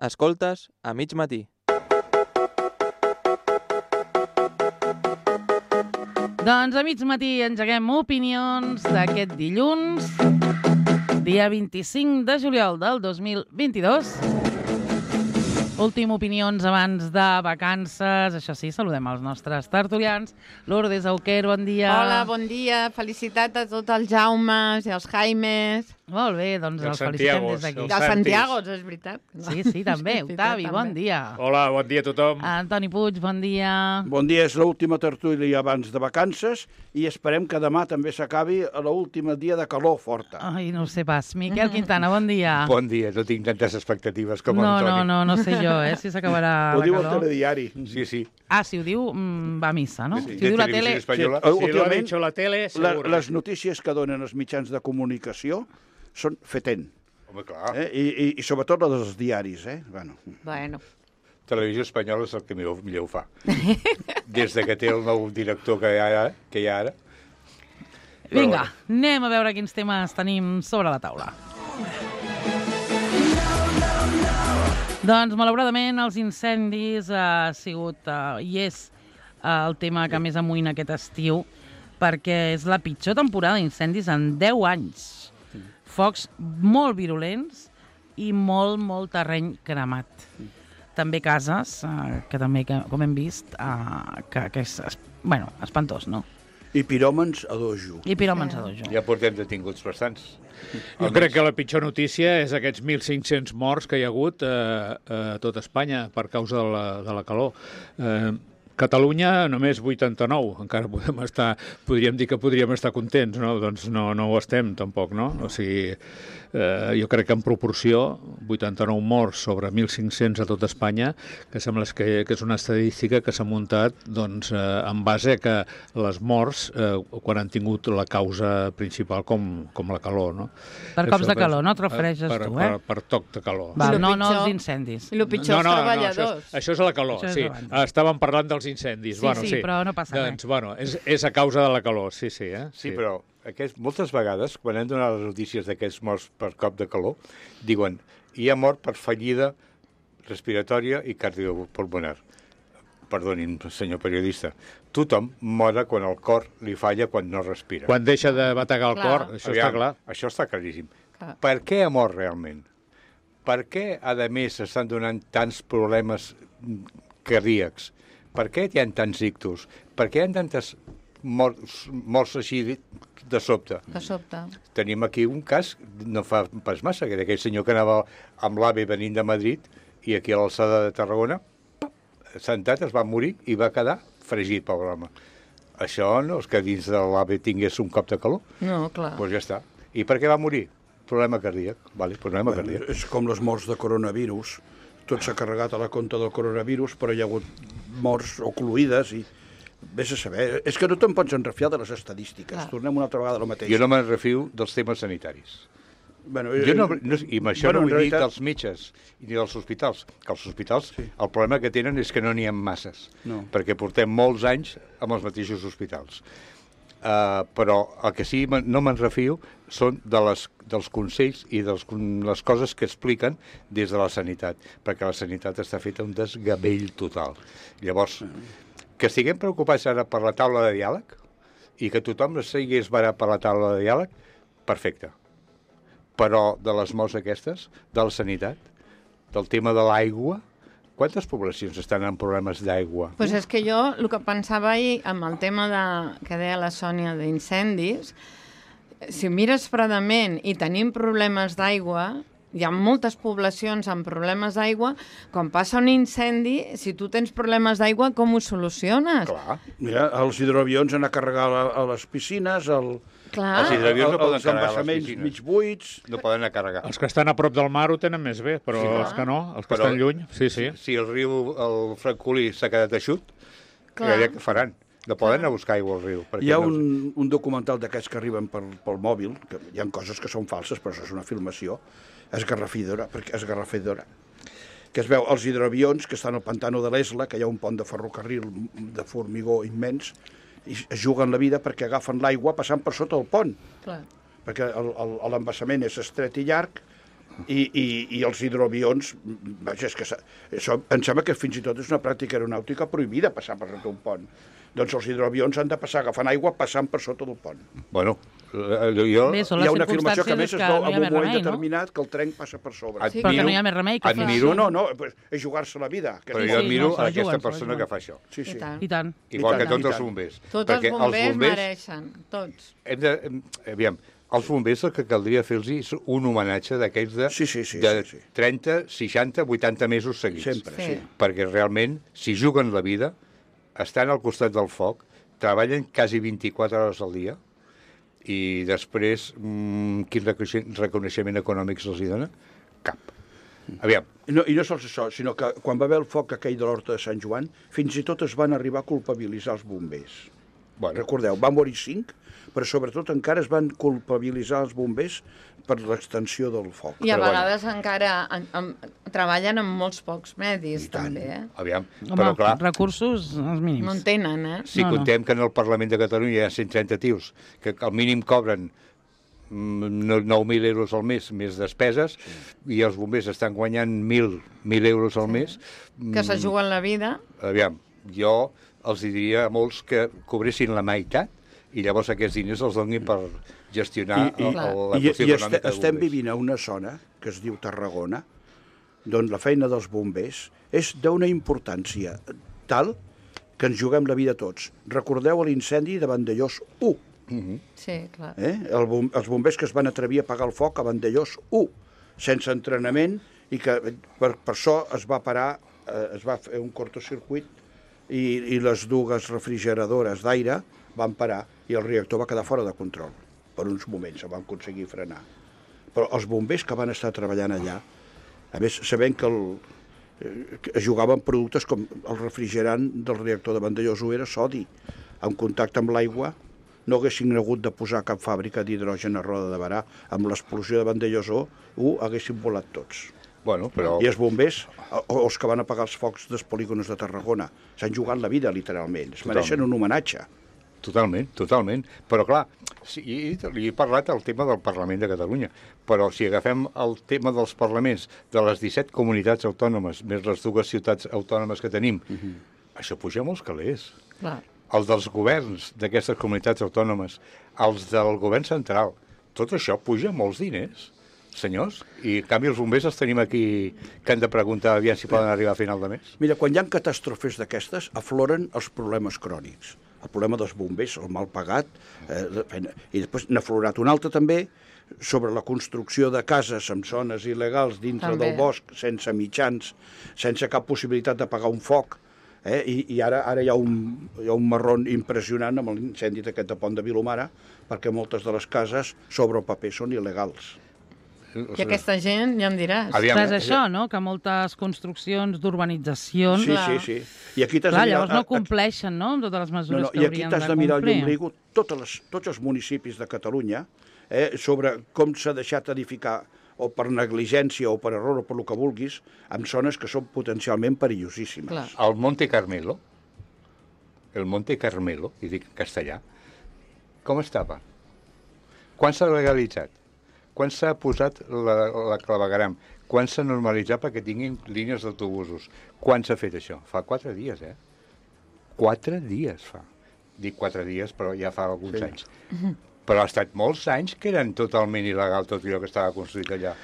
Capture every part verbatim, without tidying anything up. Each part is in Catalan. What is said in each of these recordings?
Escoltes a mig matí. Doncs a mig matí engeguem opinions d'aquest dilluns, dia vint-i-cinc de juliol del dos mil vint-i-dos. Últim opinions abans de vacances. Això sí, saludem els nostres tertulians. Lourdes Auquer, bon dia. Hola, bon dia. Felicitat a tots els Jaumes i els Jaimes. Molt bé, doncs els, els felicitem des d'aquí. Els Santiagos, és veritat. Sí, sí, també. Octavi, bon dia. Hola, bon dia a tothom. Antoni Puig, bon dia. Bon dia, és l'última tertúlia abans de vacances i esperem que demà també s'acabi a l'última dia de calor forta. Ai, no ho sé pas. Miquel Quintana, bon dia. Bon dia, no tinc tantes expectatives com no, Antoni. No, no, no sé jo, eh, si s'acabarà Ho la diu el calor. telediari. Sí, sí. Ah, si ho diu, mm, va a missa, no? Sí, Si ho diu la tele... Televisió Espanyola. Sí, Si lo ha últimament, dicho la tele, La, seguro. les notícies que donen els mitjans de comunicació són fetent. Home, clar. Eh? I, i, I sobretot les dels diaris. Eh? Bueno. Bueno, Televisió Espanyola és el que millor, millor ho fa. Des de que té el nou director que hi ha ara. Que hi ha ara. Vinga, anem a veure quins temes tenim sobre la taula. Doncs, malauradament, els incendis ha sigut uh, i és uh, el tema que més amoïna aquest estiu, perquè és la pitjor temporada d'incendis en deu anys. Focs molt virulents i molt, molt terreny cremat. També cases, uh, que també, que, com hem vist, uh, que, que és, es, bueno, espantós, no? I piròmens a dojo. I piròmens a dojo. Ja portem detinguts bastants. Jo crec que la pitjor notícia és aquests mil cinc-cents morts que hi ha hagut eh, a tot Espanya per causa de la, de la calor. Eh, Catalunya només vuitanta-nou, encara podem estar, podríem dir que podríem estar contents, no? Doncs no, no ho estem tampoc, no? O sigui, eh, jo crec que en proporció, vuitanta-nou morts sobre mil cinc-cents a tot Espanya, que sembla que, que és una estadística que s'ha muntat doncs, eh, en base a que les morts, eh, quan han tingut la causa principal com, com la calor, no? Per cops de calor, no et refereixes per, tu, eh? Per, per toc de calor. Va, I lo no, no pitjor- els incendis. i el pitjor, els treballadors. això, és, això és la calor, Això és sí. abans. Estàvem parlant dels incendis. Sí, bueno, sí, sí, però no passa res. doncs, bueno, és, és a causa de la calor, sí, sí. Eh? Sí, però aquest, moltes vegades, quan hem donat les notícies d'aquests morts per cop de calor, diuen, hi ha mort per fallida respiratòria i cardiopulmonar. Perdonin, senyor periodista. Tothom mora quan el cor li falla, quan no respira. Quan deixa de bategar el Clar. cor, això Aviam, està clar. Això està claríssim. Clar. Per què ha mort realment? Per què, a més, s'estan donant tants problemes cardíacs? Per què hi ha tants ictus? Per què hi ha tantes morts, morts així de, de sobte? De sobte. Tenim aquí un cas, no fa pas massa, que d'aquell senyor que anava amb l'AVE venint de Madrid i aquí a l'alçada de Tarragona, sentat, es va morir i va quedar fregit, pobre home. Això no és que dins de l'AVE tingués un cop de calor? No, clar. Doncs pues ja està. I per què va morir? Problema cardíac. Vale, problema Bueno, cardíac. és com les morts de coronavirus. Tot s'ha carregat a la compta del coronavirus, però hi ha hagut morts ocluïdes i... Vés a saber. És que no te'n pots enrefiar de les estadístiques. Clar. Tornem una altra vegada a lo mateix. Jo no me'n refio dels temes sanitaris. Bueno, Jo no, no, I amb això bueno, no en vull dir realitat- dels metges ni dels hospitals, que els hospitals sí. El problema que tenen és que no n'hi ha masses, No. perquè portem molts anys amb els mateixos hospitals. Uh, però el que sí me- no me'n refio són de les, dels consells i de les coses que expliquen des de la sanitat, perquè la sanitat està feta un desgavell total. Llavors, que estiguem preocupats ara per la taula de diàleg i que tothom estigués barat per la taula de diàleg, perfecte. Però de les morts aquestes, de la sanitat, del tema de l'aigua, quantes poblacions estan en problemes d'aigua? Pues és que jo el que pensava ahir amb el tema de, que deia la Sònia d'incendis, si mires fredament i tenim problemes d'aigua, hi ha moltes poblacions amb problemes d'aigua, quan passa un incendi, si tu tens problemes d'aigua, com ho soluciones? Clar. Mira, els hidroavions han a carregar a, a les piscines, el, Clar. Els hidroavions no el, poden els carregar a les embassaments piscines. mig buits... No poden anar a carregar. Els que estan a prop del mar ho tenen més bé, però Sí, sí, clar. els que no, els que Però- estan lluny, sí, sí. Si el riu, el Francolí s'ha quedat eixut, Clar. què faran? No poden anar a buscar aigua al riu. perquè Hi ha no- un, un documental d'aquests que arriben per, pel mòbil, que hi ha coses que són falses, però això és una filmació, esgarrafidora, perquè esgarrafidora, que es veu els hidroavions que estan al pantano de l'Esla, que hi ha un pont de ferrocarril de formigó immens, i es juguen la vida perquè agafen l'aigua passant per sota el pont, Clar. perquè el- el- l'embassament és estret i llarg, I, i, i els hidroavions, vaja, és que això, em sembla que fins i tot és una pràctica aeronàutica prohibida passar per sota un pont. Doncs els hidroavions han de passar agafant aigua passant per sota del pont. Bueno, jo... Bé, són Hi les ha una afirmació que a més es circumstàncies veu que no hi en ha un més moment remei, no? determinat que el tren passa per sobre. Sí, però que no hi ha més remei que fer admiro, No, no, no, és jugar-se la vida. Que Però és jo Sí, admiro no, se la aquesta juguen, se la persona juguen. que fa això. Sí, sí. I tant. I tant. Igual I que tant, tots i els tant. bombers. Tots els bombers mereixen, tots. Hem de, hem, aviam, els bombers el que caldria fer-los és un homenatge d'aquells de, Sí, sí, sí, de sí, sí. trenta, seixanta, vuitanta mesos seguits. Sempre, Sí. sí. Perquè realment, si juguen la vida, estan al costat del foc, treballen quasi vint-i-quatre hores al dia, i després, mmm, quin reconeixement, reconeixement econòmic se'ls hi dona? Cap. Aviam, I no, I no sols això, sinó que quan va haver el foc aquell de l'Horta de Sant Joan, fins i tot es van arribar a culpabilitzar els bombers. bueno, Recordeu, van morir cinc, però sobretot encara es van culpabilitzar els bombers per l'extensió del foc. I a Però bueno. vegades encara en, en, treballen amb molts pocs medis, I tant. també, eh? aviam, Home, però clar, recursos els mínims. No en tenen, eh? si No, no. contem que en el Parlament de Catalunya hi ha cent trenta tios, que al mínim cobren mm, nou mil euros al mes més despeses, i els bombers estan guanyant mil euros al mes, Que se juguen la vida. aviam, jo els diria a molts que cobressin la meitat i llavors aquests diners els donin per gestionar I, i, el, el, la i, qüestió i econòmica este, dels estem bombers. vivint a una zona que es diu Tarragona, d'on la feina dels bombers és d'una importància tal que ens juguem la vida tots. Recordeu l'incendi de Vandellós u, Sí, clar. eh? el, bom, els bombers que es van atrevir a apagar el foc a Vandellós u, sense entrenament, i que per, per això es va parar, eh, es va fer un cortocircuit i, i les dues refrigeradores d'aire van parar i el reactor va quedar fora de control. Per uns moments se van aconseguir frenar. Però els bombers que van estar treballant allà, a més, sabent que, el, eh, que jugaven productes com el refrigerant del reactor de Vandellós u era sodi, en contacte amb l'aigua, no haguessin hagut de posar cap fàbrica d'hidrogen a Roda de Barà. Amb l'explosió de Vandellós u haguessin volat tots. Bueno, però... I els bombers, o els que van apagar els focs dels polígons de Tarragona, s'han jugat la vida, literalment. Es mereixen un homenatge. Totalment, totalment. Però, clar, sí, li he parlat del tema del Parlament de Catalunya, però si agafem el tema dels parlaments de les disset comunitats autònomes, més les dues ciutats autònomes que tenim, uh-huh. això puja molts calés. Clar. Els dels governs d'aquestes comunitats autònomes, els del govern central, tot això puja molts diners, senyors, i en canvi els bombers els tenim aquí que han de preguntar aviam si poden arribar a final de mes. Mira, quan hi ha catàstrofes d'aquestes, afloren els problemes crònics. El problema dels bombers, el mal pagat, eh, i després n'ha aflorat un altre també, sobre la construcció de cases en zones il·legals dintre També. del bosc, sense mitjans, sense cap possibilitat de pagar un foc, eh? I, i ara ara hi ha, un, hi ha un marron impressionant amb l'incendi d'aquest de Pont de Vilomara, perquè moltes de les cases sobre el paper són il·legals. I aquesta gent, ja em diràs. Aviam, Clar, és això, no?, que moltes construccions d'urbanitzacions... Sí, Clar. sí, sí. I aquí t'has Clar, de mirar- llavors no compleixen, no?, amb totes les No, mesures no, que i aquí haurien t'has de de mirar el complir. llumbrigut, totes les, tots els municipis de Catalunya, eh, sobre com s'ha deixat edificar, o per negligència, o per error, o per el que vulguis, en zones que són potencialment perillosíssimes. Clar. el Monte Carmelo, el Monte Carmelo, i dic en castellà, com estava? Quan s'ha legalitzat? Quan s'ha posat la, la clavegaram? Quan s'ha normalitzat perquè tinguin línies d'autobusos? Quan s'ha fet això? Fa quatre dies, eh? Quatre dies fa. Dic quatre dies, però ja fa alguns Sí. anys. Però ha estat molts anys que eren totalment il·legal tot allò que estava construït allà.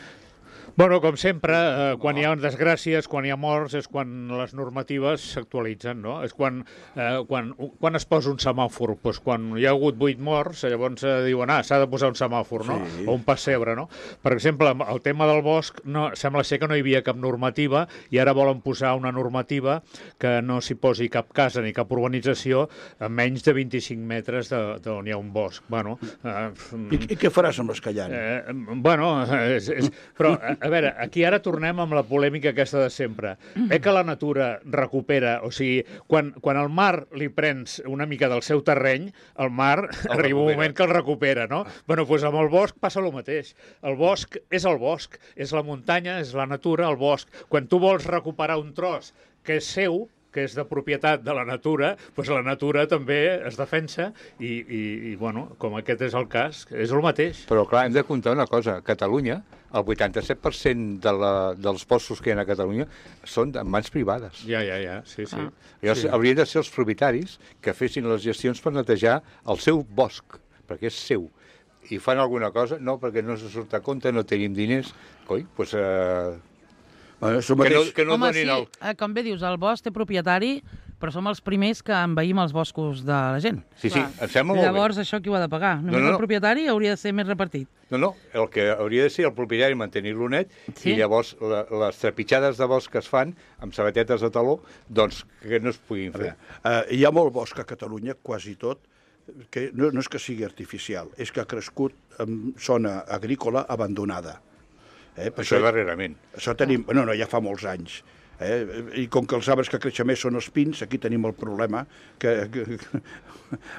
Bueno, com sempre, eh, quan hi ha desgràcies, quan hi ha morts, és quan les normatives s'actualitzen, no? És quan, eh, quan, quan es posa un semàfor. Pues quan hi ha hagut vuit morts, llavors eh, diuen, ah, s'ha de posar un semàfor, no? Sí. O un pessebre, no? Per exemple, amb el tema del bosc, no, sembla ser que no hi havia cap normativa i ara volen posar una normativa que no s'hi posi cap casa ni cap urbanització a menys de vint-i-cinc metres d'on hi ha un bosc. Bueno, eh, I, I què faràs amb les que hi ha? Eh, bueno, és, és, però, a, a veure, aquí ara tornem amb la polèmica aquesta de sempre. Eh que la natura recupera, o sigui, quan, quan al mar li prens una mica del seu terreny, el mar El arriba un recupera. moment que el recupera, no? Bueno, doncs amb el bosc passa el mateix. El bosc és el bosc, és la muntanya, és la natura, el bosc. Quan tu vols recuperar un tros que és seu, que és de propietat de la natura, doncs la natura també es defensa i, i, i bueno, com aquest és el cas, és el mateix. Però clar, hem de comptar una cosa, a Catalunya el vuitanta-set per cent de la, dels boscos que hi ha a Catalunya són en mans privades. Ja, ja, ja, sí, sí. Ah. Llavors, Sí. haurien de ser els propietaris que fessin les gestions per netejar el seu bosc, perquè és seu. I fan alguna cosa? No, perquè no se surt a compte, no tenim diners. Coi, doncs... Eh, Bueno, això que no, mateix... que no Home, donin sí, el... eh, com bé dius, el bosc té propietari, però som els primers que envaïm els boscos de la gent. Sí, sí, Clar. em sembla molt Llavors, això qui ho ha de pagar? Només no, no. el propietari hauria de ser més repartit. bé. No, no, el que hauria de ser el propietari mantenir-lo net Sí. i llavors la, les trepitjades de bosc que es fan amb sabatetes de taló, doncs que no es puguin A fer. veure, eh, hi ha molt bosc a Catalunya, quasi tot, que no, no és que sigui artificial, és que ha crescut en zona agrícola abandonada. Eh? Per Això darrerament. Això tenim... No, no, ja fa molts anys. Eh? I com que els arbres que creixen més són els pins, aquí tenim el problema que, que, que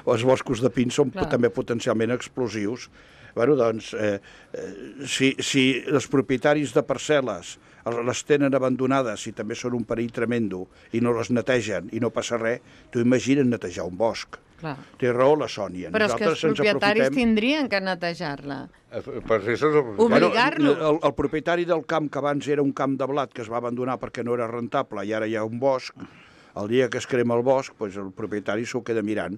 els boscos de pins són Clar. també potencialment explosius. Bueno, doncs, eh, eh, si, si els propietaris de parcel·les les tenen abandonades i també són un perill tremendo i no les netegen i no passa res, tu imagina't netejar un bosc. Clar. Té raó la Sònia. Però és que els Nosaltres ens propietaris aprofitem- tindrien que netejar-la. Eh, Per això és el... Obli- Obligar-los. el, el propietari del camp, que abans era un camp de blat que es va abandonar perquè no era rentable i ara hi ha un bosc, el dia que es crema el bosc, doncs el propietari s'ho queda mirant.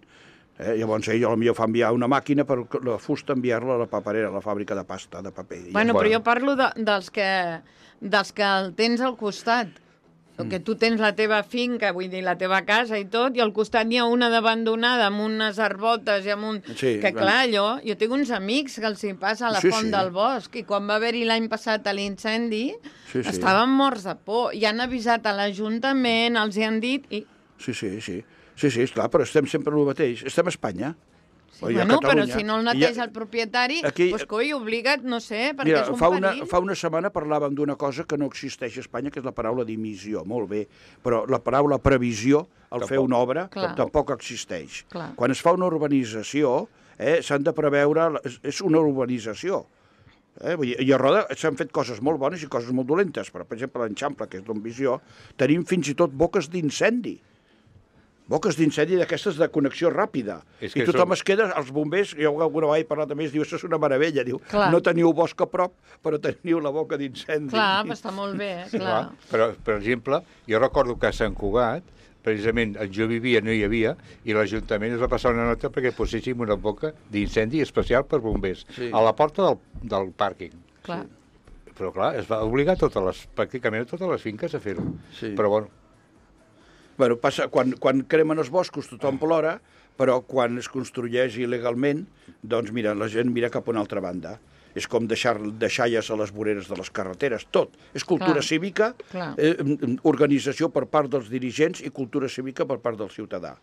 Eh? Llavors ell potser fa enviar una màquina per la fusta enviar-la a la paperera, a la fàbrica de pasta, de paper. I Bueno, ja. però jo parlo de, dels, que, dels que el tens al costat. Mm. Que tu tens la teva finca, vull dir, la teva casa i tot, i al costat n'hi ha una d'abandonada amb unes arbotes i amb un... Sí, que bueno. clar, jo, jo tinc uns amics que els hi passa a la Sí, font sí. del bosc i quan va haver-hi l'any passat a l'incendi Sí, sí. estaven morts de por i han avisat a l'Ajuntament, els hi han dit i... Sí, sí, sí. Sí, sí, esclar, però estem sempre el mateix. Estem a Espanya. Sí, O hi ha bueno, però Catalunya. si no el I hi neteja ha- el propietari, Aquí- doncs coi, obliga't, no sé, perquè Mira, és un fa una, perill. fa una setmana parlàvem d'una cosa que no existeix a Espanya, que és la paraula dimissió. Molt bé, però la paraula previsió, al fer Tampoc. una obra, Clar. tampoc existeix. Clar. Quan es fa una urbanització, eh, s'han de preveure... És, és una urbanització. Eh? Vull dir, I a Roda s'han fet coses molt bones i coses molt dolentes, però, per exemple, a l'Enxample, que és d'Envisió, tenim fins i tot boques d'incendi. Boques d'incendi d'aquestes de connexió ràpida. És I que tothom som- es queda, els bombers, jo alguna vegada he parlat amb ells, diu, això és una meravella, diu, Clar. no teniu bosc a prop, però teniu la boca d'incendi. Clar, però està molt bé, eh? clar. Però, per exemple, jo recordo que a Sant Cugat, precisament on jo vivia no hi havia, i l'Ajuntament es va passar una nota perquè poséssim una boca d'incendi especial per bombers, Sí. a la porta del, del pàrquing. clar. Però clar, es va obligar totes les, pràcticament a totes les finques a fer-ho. Sí. Però bueno, Bueno, passa, quan, quan cremen els boscos tothom plora, però quan es construeix il·legalment, doncs mira, la gent mira cap a una altra banda. És com deixar deixalles a les voreres de les carreteres, tot. És cultura Clar. cívica, Clar. eh, organització per part dels dirigents i cultura cívica per part del ciutadà.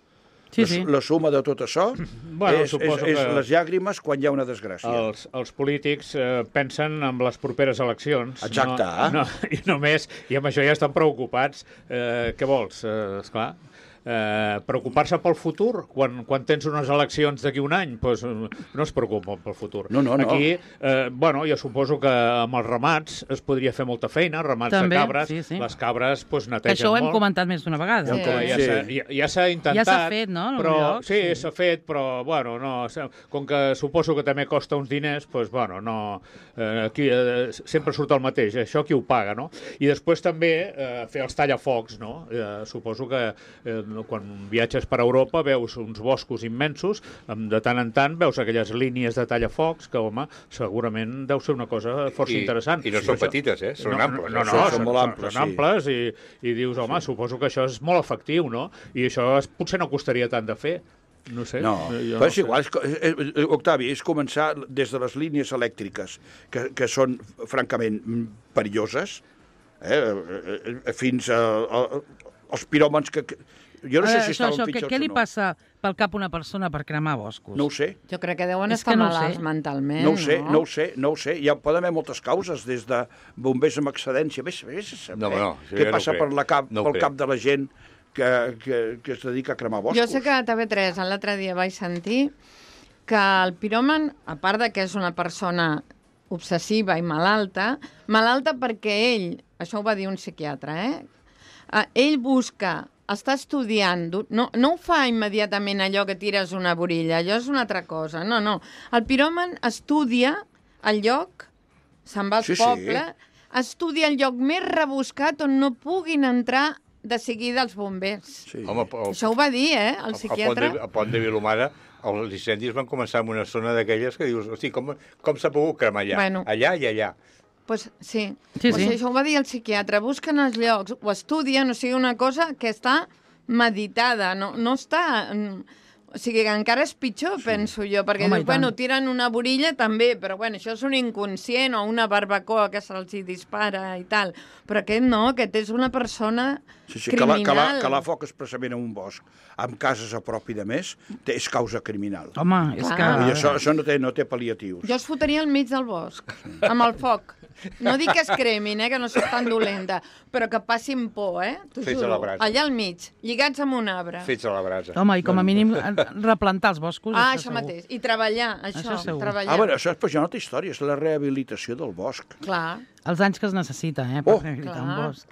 Sí, la, sí. la suma de tot això Bueno, és, és, suposo és que- les llàgrimes quan hi ha una desgràcia. Els, els polítics eh, pensen en les properes eleccions. Exacte. No, no, I només, i amb això ja estan preocupats. Eh, què vols? Eh, esclar, eh, preocupar-se pel futur quan, quan tens unes eleccions d'aquí un any, doncs no es preocupen pel futur. No, no, no. Aquí, eh, bueno, jo suposo que amb els ramats es podria fer molta feina, ramats També, de cabres, sí, sí. les cabres doncs, Que netegen això ho hem molt. comentat més d'una vegada. Sí. Que ja Sí. s'ha ja, ja s'ha intentat. Ja s'ha fet, no, en Però, algun lloc, sí, sí. s'ha fet, però, bueno, no, s'ha- com que suposo que també costa uns diners, doncs, bueno, no, eh, aquí eh, sempre surt el mateix, eh, això qui ho paga, no? I després també eh, fer els tallafocs, no? Eh, suposo que eh, quan viatges per Europa veus uns boscos immensos, amb, de tant en tant veus aquelles línies de tallafocs que, home, segurament deu ser una cosa força I- interessant. i no són Això- petites, eh? Són no, amples, No, no, eh? no, Són són, molt són, amples, són sí. amples i, i dius, home, suposo que això és molt efectiu, no? I això es, potser no costaria tant de fer. No sé. No, jo però és sé. igual, és, co- és, és, Octavi, és començar des de les línies elèctriques, que, que són francament mm, perilloses, eh, eh, eh, fins a, a, als piròmans que... que jo no sé Eh, si això, estaven això, què, pitjors què li o no. passa pel cap a una persona per cremar boscos? No ho sé. Jo crec que deuen És estar que no ho malalts sé. mentalment, No ho sé, no? no ho sé, no ho sé. Hi ha, poden haver moltes causes, des de bombers amb excedència. Vés, vés a saber No, no, això què ja no passa ho crec. per, la cap, No ho pel crec. cap de la gent que, que, que es dedica a cremar boscos. Jo sé que a T V tres l'altre dia vaig sentir que el piròman, a part de que és una persona obsessiva i malalta, malalta perquè ell, això ho va dir un psiquiatre, eh? Uh, ell busca, està estudiant, no, no ho fa immediatament allò que tires una borilla, allò és una altra cosa, no, no. El piròman estudia el lloc, se'n va al Sí, sí. poble, estudia el lloc més rebuscat on no puguin entrar de seguida els bombers. Sí. Home, el, Això ho va dir, eh, el psiquiatre. A Pont de Vilomara, els incendis van començar en una zona d'aquelles que dius, hosti, com, com s'ha pogut cremar allà? Bueno. Allà i allà. Pues sí, Sí, pues sí. això ho va dir el psiquiatre. Busquen els llocs, ho estudien, o sigui, una cosa que està meditada, no, no està... O sigui, que encara és pitjor, sí. penso jo, perquè Home, dius, i tant. bueno, tiren una borilla també, però bueno, això és un inconscient o una barbacoa que se'ls hi dispara i tal. Però aquest no, aquest és una persona Sí, sí, que la, criminal. que, la, que la foc expressament en un bosc, amb cases a prop i de més, té, és causa criminal. Home, és Clar. que... I això, això no té, no té pal·liatius. Jo es fotria al mig del bosc, amb el foc. No dic que es cremin, eh, que no soc tan dolenta, però que passin por, eh? T'ho Fets a juro. la brasa. Allà al mig, lligats amb un arbre. Fets a la brasa. Home, i com a mínim replantar els boscos, Ah, això això segur. mateix. I treballar, això, Això segur. treballar. Ah, bueno, això és, però ja no té història, és la rehabilitació del bosc. Clar. Els anys que es necessita, eh, per Oh! rehabilitar un Clar. bosc.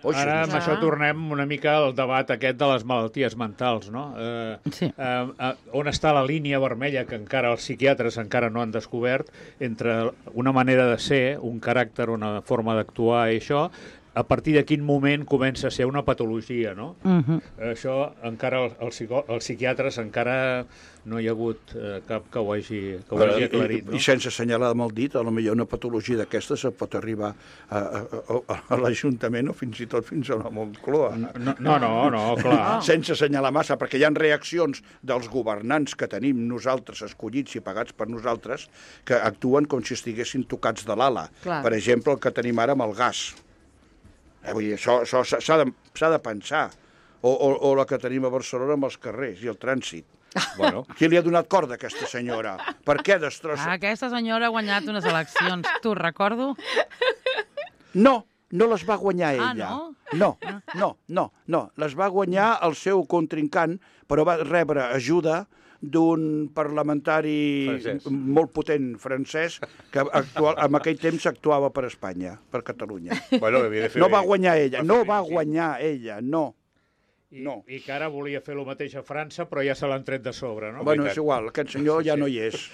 Oh, Ara amb Clar. això tornem una mica al debat aquest de les malalties mentals, no? Eh, Sí. eh, eh, on està la línia vermella que encara els psiquiatres encara no han descobert entre una manera de ser, un caràcter, una forma d'actuar i això, a partir de quin moment comença a ser una patologia, no? Uh -huh. Això encara el, el psico, els psiquiatres encara no hi ha hagut eh, cap que ho hagi, que ho hagi aclarit, I, no? I sense assenyalar amb el dit, a lo millor una patologia d'aquestes se pot arribar a, a, a, a l'Ajuntament o fins i tot fins a la Moncloa. No, no, no, no, clar. Sense assenyalar massa, perquè hi ha reaccions dels governants que tenim nosaltres, escollits i pagats per nosaltres, que actuen com si estiguessin tocats de l'ala. Clar. Per exemple, el que tenim ara amb el gas. Eh, vull dir, això això s'ha de, s'ha de pensar. O, o, o la que tenim a Barcelona amb els carrers i el trànsit. Bueno, Qui li ha donat corda a aquesta senyora? Per què destrossa? Ah, aquesta senyora ha guanyat unes eleccions. T'ho recordo? No, no les va guanyar Ah, ella. no? No, no, no, no. Les va guanyar el seu contrincant, però va rebre ajuda d'un parlamentari Francès. molt potent francès que actual, en aquell temps actuava per Espanya, per Catalunya. bueno, havia de fer... No va guanyar ella, no va guanyar ella, no. I, No. I que ara volia fer el mateix a França, però ja se l'han tret de sobre, no? Bueno, és igual, aquest senyor ja no hi és.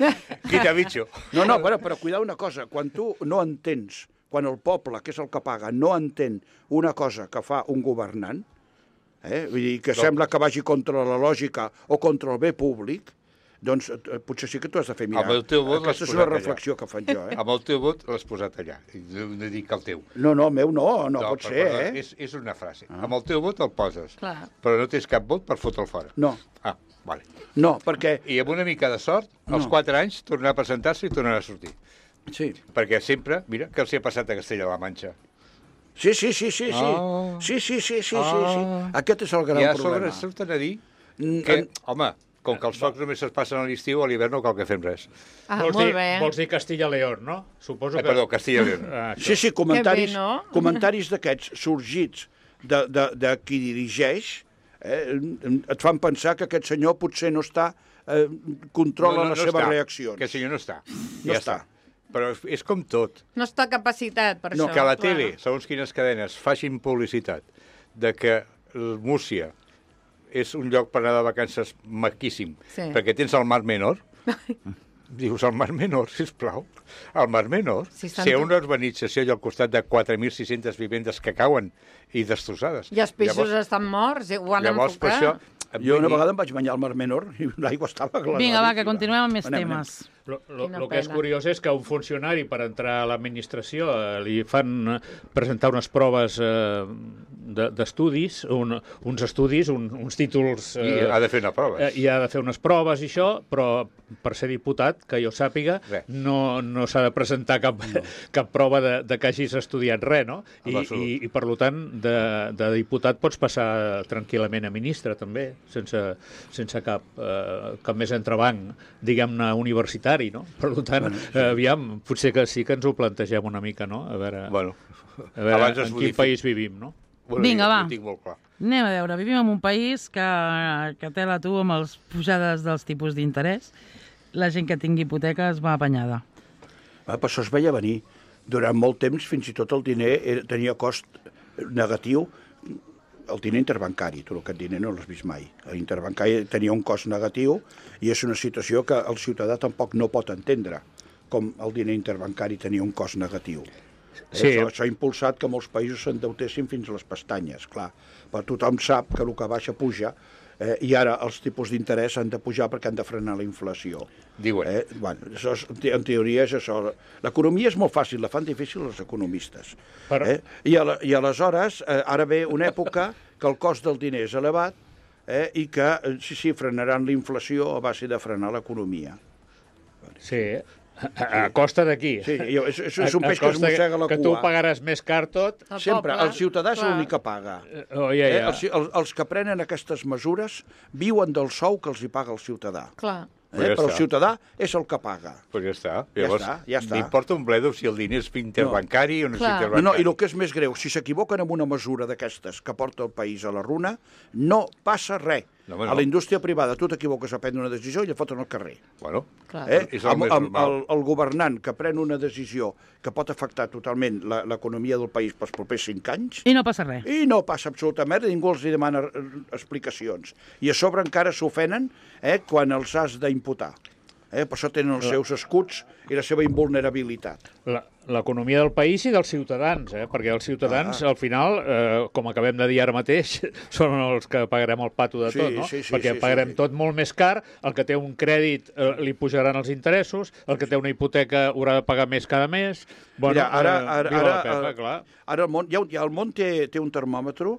Quita bitxo. No, no, però, però cuidar una cosa, quan tu no entens, quan el poble, que és el que paga, no entén una cosa que fa un governant, eh, vull dir, que No. sembla que vagi contra la lògica o contra el bé públic, doncs eh, potser sí que tu has de fer mirar. Amb el teu vot Aquesta l'has és una posat allà. reflexió que faig jo, eh? Amb el teu vot l'has posat allà. I no no dic el teu. No, no, el meu no, no, pot però, ser, perdona, eh? És, és una frase. Ah. Amb el teu vot el poses, Clar. però no tens cap vot per fotre'l fora. No, Ah, vale. no, perquè... I amb una mica de sort, als No. quatre anys tornarà a presentar-se i tornarà a sortir. Sí, Perquè sempre, mira, què els hi ha passat a Castella-la Manxa? sí, sí, sí, sí, sí. Ah. Sí, sí, sí, sí, sí, Ah. sí. Aquest és el gran I a sobre problema. surten a dir Mm, que, en- home, com que els focs només es passen a l'estiu, a l'hivern no cal que fem res. Ah, vols, molt dir, bé. vols dir Castilla-León, no? Suposo Eh, que... perdó, Castilla i León. Ah, això. Sí, sí, comentaris, Que bé, no? comentaris d'aquests sorgits de, de, de qui dirigeix eh, et fan pensar que aquest senyor potser no està, eh, controla les seves està. reaccions. Que el senyor no està. No ja està. Però és- és com tot. No està capacitat per No, això. Que la clar. tele, segons quines cadenes, facin publicitat de que el Múrcia és un lloc per anar de vacances maquíssim, Sí. perquè tens el Mar Menor. Dius, el Mar Menor, sisplau. El Mar Menor. Si Si estan hi ha tot- una urbanització allà al costat de quatre mil sis-centes vivendes que cauen i destrossades. I els peixos estan morts, i ho han llavors per enfocat. això... Jo una vegada em vaig banyar al Mar Menor i l'aigua estava glaçada. Vinga, va, que continuem amb més temes. Lo, lo, Quina lo que és pena. curiós és que un funcionari per entrar a l'administració eh, li fan eh, presentar unes proves eh, de- d'estudis, un, uns estudis, un, uns títols... I ha de fer una prova. Eh, I ha de fer unes proves i això, però per ser diputat, que jo sàpiga, Res. no, no s'ha de presentar cap, no. cap prova de, de que hagis estudiat res, no? I, En absolut. i, i per tant, de, de diputat pots passar tranquil·lament a ministre, també, sense, sense cap, eh, cap més entrebanc, diguem-ne, universitari, no? Per tant, bueno, sí. eh, aviam, potser que sí que ens ho plantegem una mica, no? A veure, Bueno, a veure abans es en quin modifica. país vivim, no? bueno, Vinga, jo va. ho tinc molt clar. Anem a veure, vivim en un país que, que té la tu amb les pujades dels tipus d'interès. La gent que tingui hipoteca es va apanyada. Ah, però això es veia venir. Durant molt temps, fins i tot el diner era, tenia cost negatiu el diner interbancari, tu aquest diner no l'has vist mai. L'interbancari tenia un cost negatiu i és una situació que el ciutadà tampoc no pot entendre, com el diner interbancari tenia un cost negatiu. Sí. Això, això ha impulsat que molts països s'endeutessin fins a les pestanyes, clar. Però tothom sap que el que baixa puja, eh, i ara els tipus d'interès han de pujar perquè han de frenar la inflació. Diuen. Eh? Bueno, això és, en teoria és això. L'economia és molt fàcil, la fan difícil els economistes. Però... Eh? I, a, I aleshores, eh, ara ve una època que el cost del diner és elevat, eh, i que, eh, sí, sí, frenaran la inflació a base de frenar l'economia. Sí, a, a costa d'aquí. Sí, jo, és, és, és un A- a peix que es costa mossega la Que cua. tu pagaràs més car tot. El Sempre, poble, el ciutadà és clar. l'únic que paga. Oh, ja, Eh? ja. Els, els, els que prenen aquestes mesures viuen del sou que els hi paga el ciutadà. Clar. Eh? Ja Però el està. ciutadà és el que paga. Pues ja està. Ja Llavors, està, ja està. m'importa un bledo si el diner és interbancari o no és Clar. No, interbancari. no, i el que és més greu, si s'equivoquen amb una mesura d'aquestes que porta el país a la runa, no passa res. No, home, no. A la indústria privada tu t'equivoques a prendre una decisió i la foten al carrer. Bueno, Clar. Eh? és el Amb, més amb, normal. el, el governant que pren una decisió que pot afectar totalment la- l'economia del país pels propers cinc anys, I no passa res. i no passa absolutament res, ningú els hi demana eh, explicacions. I a sobre encara s'ofenen, eh, quan els has d'imputar. Eh? Per això tenen els seus escuts i la seva invulnerabilitat. La- L'economia del país i dels ciutadans, eh? Perquè els ciutadans, Ah. al final, eh, com acabem de dir ara mateix, són els que pagarem el pato de Sí, tot, no? sí, sí, Perquè sí, pagarem sí, sí. tot molt més car, el que té un crèdit eh, li pujaran els interessos, el que té una hipoteca haurà de pagar més cada mes... Bueno, Mira, ara, eh, ara, viva ara, la Pepa, eh, clar. ara el món, ja, ja el món té, té un termòmetre.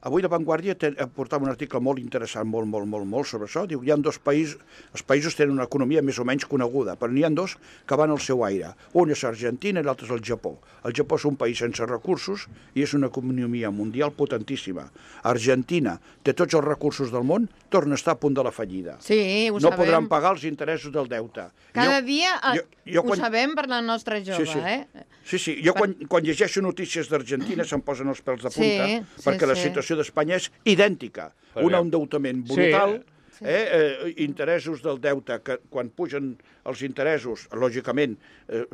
Avui La Vanguardia te, portava un article molt interessant, molt, molt, molt, molt sobre això. Diu, hi ha dos països, els països tenen una economia més o menys coneguda, però n'hi ha dos que van al seu aire. Un és Argentina i l'altre és el Japó. El Japó és un país sense recursos i és una economia mundial potentíssima. Argentina té tots els recursos del món, torna a estar a punt de la fallida. Sí, ho no sabem. podran pagar els interessos del deute. Cada Jo- dia eh, jo- jo ho quan- sabem per la nostra jove, Sí, sí. eh? Sí, sí. Jo quan, quan llegeixo notícies d'Argentina se'm posen els pèls de Sí, punta, sí, perquè la sí. situació d'Espanya és idèntica. Per Un què? endeutament Sí. brutal, eh, eh, interessos del deute, que quan pugen els interessos, lògicament, eh,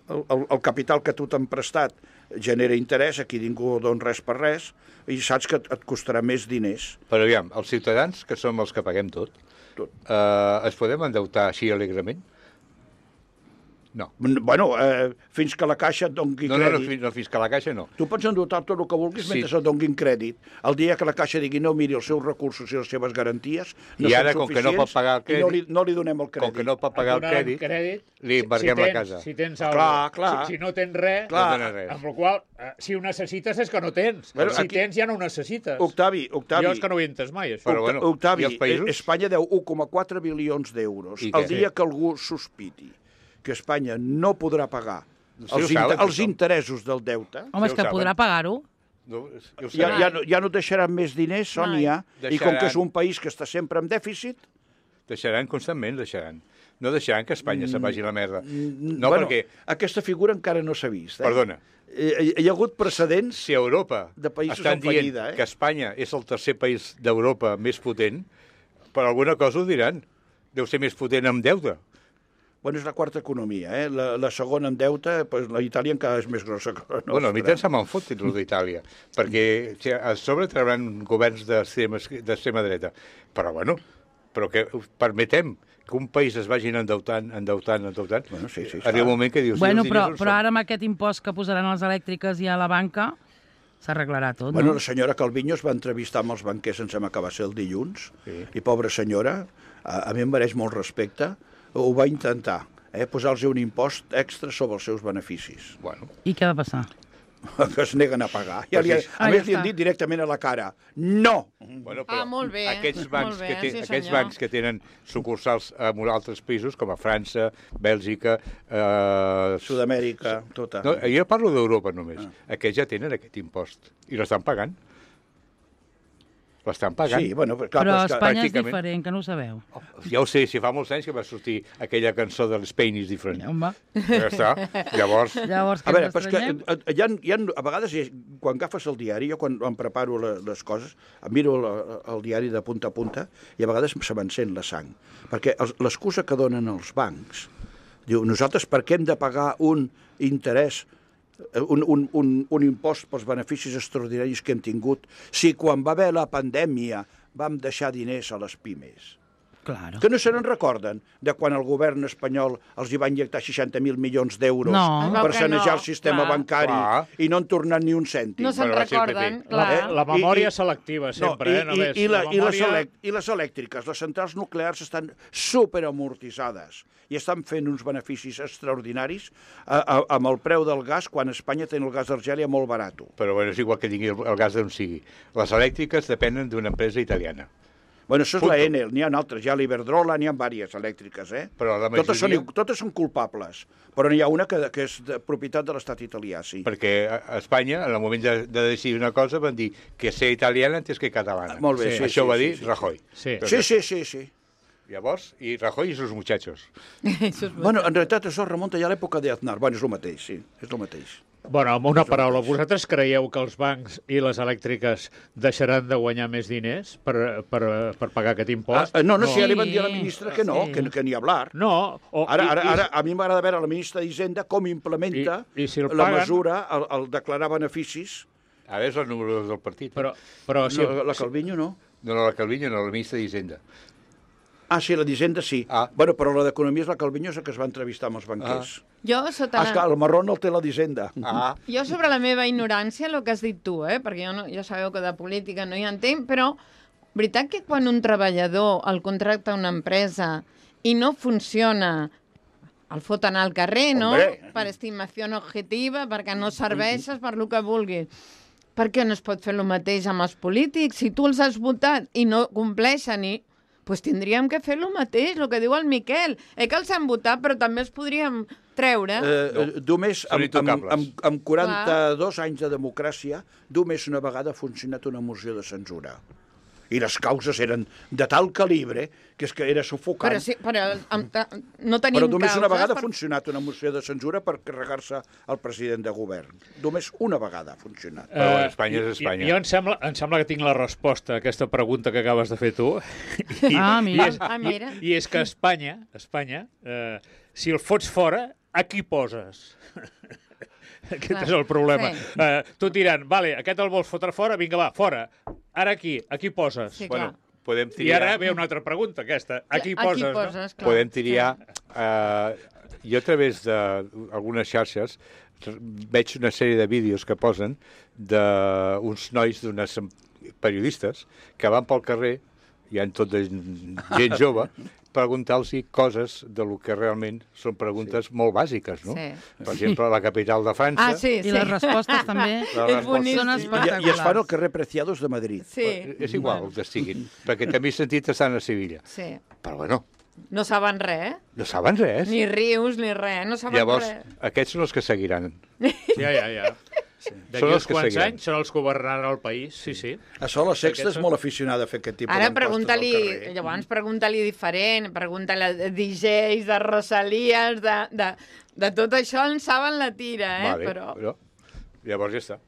el, el, el capital que tu t'han prestat genera interès, aquí ningú dona res per res, i saps que et, et costarà més diners. Però aviam, els ciutadans, que som els que paguem tot, Tot. eh, es podem endeutar així alegrement? No. Bueno, eh, fins que la Caixa et doni No, no, no, crèdit. fins, no, fins que la caixa no. Tu pots endeutar tot el que vulguis Sí. mentre et donin crèdit. El dia que la Caixa digui no, miri, els seus recursos i les seves garanties no I ara, són com que no pot suficients pagar el i no crèdit- li, no li donem el crèdit. Com que no pot pagar el Et donaran crèdit, crèdit li si- embarguem si la tens- casa. Si tens Clar, alguna clar. Si, si no tens res, Clar. No tenen res. amb la qual cosa, si ho necessites és que no tens. Bueno, si aquí- tens ja no ho necessites. Octavi, Octavi, Jo és que no ho he entès mai, això. Però Octa- bueno, Octavi, i els països? eh, Espanya deu un coma quatre bilions d'euros. I El què? dia que algú sospiti que Espanya no podrà pagar Sí, els, ho saben, inter els tothom. interessos del deute, Home, és ho que saben. podrà pagar-ho. No, ja ho ja, sabem. ja, no, ja no deixaran més diners, Sònia, i com Deixaran. que és un país que està sempre en dèficit, Deixaran constantment, deixaran. No deixaran que Espanya se'n vagi a la merda. No, bueno, perquè, aquesta figura encara no s'ha vist. Eh? perdona, Eh, Hi ha hagut precedents. si a Europa De països estan en dient fallida, eh? que Espanya és el tercer país d'Europa més potent, per alguna cosa ho diran. Deu ser més potent amb deute. Bueno, és la quarta economia, eh? La, la segona en deute, pues, la Itàlia encara és més grossa que la nostra. Bueno, a mi tant se me'n fot el d'Itàlia, perquè si a sobre trauran governs d'extrema d'extrema dreta. Però, bueno, però que permetem que un país es vagin endeutant, endeutant, endeutant, Bueno, sí, sí, arriba està. un moment que dius... Bueno, "I els però, diners on però són?" ara amb aquest impost que posaran a les elèctriques i a la banca s'arreglarà tot, Bueno, no? la senyora Calviño es va entrevistar amb els banquers, em sembla que va ser el dilluns, Sí. i pobra senyora, a, a mi em mereix molt respecte, ho va intentar, eh? posar-los un impost extra sobre els seus beneficis, Bueno, I què va passar? que es neguen a pagar. Ja Pues li, ha- sí. a Ah, més, ja li han està. dit directament a la cara, no! bueno, Ah, molt bé, aquests bancs, molt bé, que, té, sí, aquests senyor. bancs que tenen sucursals en altres països, com a França, Bèlgica... Eh, Sud-amèrica, tota. no, jo parlo d'Europa només. Ah. Aquests ja tenen aquest impost i l'estan pagant. L'estan pagant. Sí, bueno, però, clar, Però però és que, Espanya és pràcticament- diferent, que no ho sabeu. Ja ho sé, si fa molts anys que va sortir aquella cançó de l'Spain is different. Home, Ja està. Llavors, llavors A que veure, ens però és que estranyem? eh, hi ha, hi ha, a vegades, hi ha- quan agafes el diari, jo quan em preparo la, les coses, em miro la, el diari de punta a punta i a vegades se m'encén la sang. Perquè els- l'excusa que donen els bancs, diu, nosaltres per què hem de pagar un interès un, un, un, un impost pels beneficis extraordinaris que hem tingut si quan va haver la pandèmia vam deixar diners a les pimes? Claro. Que no se n'en recorden de quan el govern espanyol els hi va injectar seixanta mil milions d'euros No. per Que sanejar no, el sistema clar. bancari Clar. i no han tornat ni un cèntim. No se'n Però va ser el recorden, P P. clar. La, la memòria I- i- selectiva, sempre, no, eh? Només. I, i, la, la i, les memòria... elec I les elèctriques, les centrals nuclears estan superamortitzades i estan fent uns beneficis extraordinaris a, a, amb el preu del gas quan Espanya té el gas d'Argèlia molt barat. Però bueno, és igual que tingui el, el gas d'on sigui. Les elèctriques depenen d'una empresa italiana. Bueno, això és Punto. la Enel, n'hi ha altres, hi ha l'Iberdrola, n'hi ha diverses elèctriques, eh? Però la totes, són, majoria- totes són culpables, però n'hi ha una que, que és de propietat de l'estat italià, sí. Perquè a a Espanya, en el moment de, de decidir una cosa, van dir que ser italiana antes que catalana. Molt bé, sí, Això sí, ho va sí, dir sí, sí. Rajoy. Sí. Sí, sí, sí, sí. Llavors, i Rajoy i sus muchachos. Bueno, en realitat això remunta ja a l'època d'Aznar. Bueno, és el mateix, sí, és el mateix. Bueno, amb una paraula, vosaltres creieu que els bancs i les elèctriques deixaran de guanyar més diners per, per, per pagar aquest Ah, impost? eh, no, no, No. si ja li van dir a la ministra que no, Sí. que, que ni hablar. No. O, Ara, i- ara, i- ara a mi m'agrada veure la ministra d'Hisenda com implementa I- i si el la paguen? mesura, el, el declarar beneficis. A veure, és el número dos del partit. Però, però si... No, la Calviño no. No, no, la Calviño, no, la ministra d'Hisenda. Ah, sí, la d'Hisenda sí. Ah. Bueno, però la d'Economia és la Calviño, és la que es va entrevistar amb els banquers. Jo, sota Ah, la... esclar, el marrón el té la d'Hisenda. Ah, Jo sobre la meva ignorància, el que has dit tu, eh? perquè jo no, ja sabeu que de política no hi entenc, però veritat que quan un treballador el contracta una empresa i no funciona, el foten al carrer, no? Hombre. Per estimació objetiva, perquè no serveixes, per lo que vulguis. Per què no es pot fer el mateix amb els polítics? Si tu els has votat i no compleixen i... pues tindríem que fer el mateix, el que diu el Miquel. Eh que els han votat, però també els podríem treure. Eh, No. eh, només Són amb, amb, intocables. amb, amb quaranta-dos anys de democràcia, només una vegada ha funcionat una moció de censura. I les causes eren de tal calibre que és que era sufocant. Però, sí, però amb, ta- no tenim Però només una causes vegada per- ha funcionat una moció de censura per carregar-se el president de govern. Només una vegada ha funcionat. Però bueno, Eh, Espanya és i- Espanya. i- Jo em sembla, em sembla que tinc la resposta a aquesta pregunta que acabes de fer tu. I, Ah, mira. I és, Ah, mira. I, i és que Espanya, Espanya eh, si el fots fora, a qui poses? Aquest Clar, és el problema. sí. Eh, tu diran, vale, aquest el vols fotre fora, vinga, va, fora. Ara aquí, a qui poses? Sí, Bueno, clar. podem I triar... ara ve una altra pregunta, aquesta. A qui A poses, qui no? poses clar. Podem triar... Eh, jo a través d'algunes xarxes veig una sèrie de vídeos que posen d'uns nois, d'unes periodistes, que van pel carrer, hi ha tot de gent jove, preguntar-los coses de lo que realment són preguntes sí. molt bàsiques, no? Sí. Per exemple, la capital de França... Ah, sí, sí. I les respostes també Les És respostes- boníssim. són I, espectaculars. I es fan al carrer Preciados de Madrid. Sí. És igual que estiguin, perquè també he sentit estan a Sevilla. Sí. Però bueno, No saben res, eh? no saben res. Ni rius, ni res, no saben Llavors, res. aquests són els que seguiran. Ja, ja, ja. D'aquí Són els uns que quants seguiran. anys són els que governaran el país, sí, sí. A Sol, la Sexta Aquests és són- molt aficionada a fer aquest tipus Ara d'enquestes al pregunta-li, carrer. llavors pregunta-li diferent, pregunta-li de D Js, de Rosalies, de, de, de tot això en saben la tira, eh? Vale, Però però... Llavors ja està.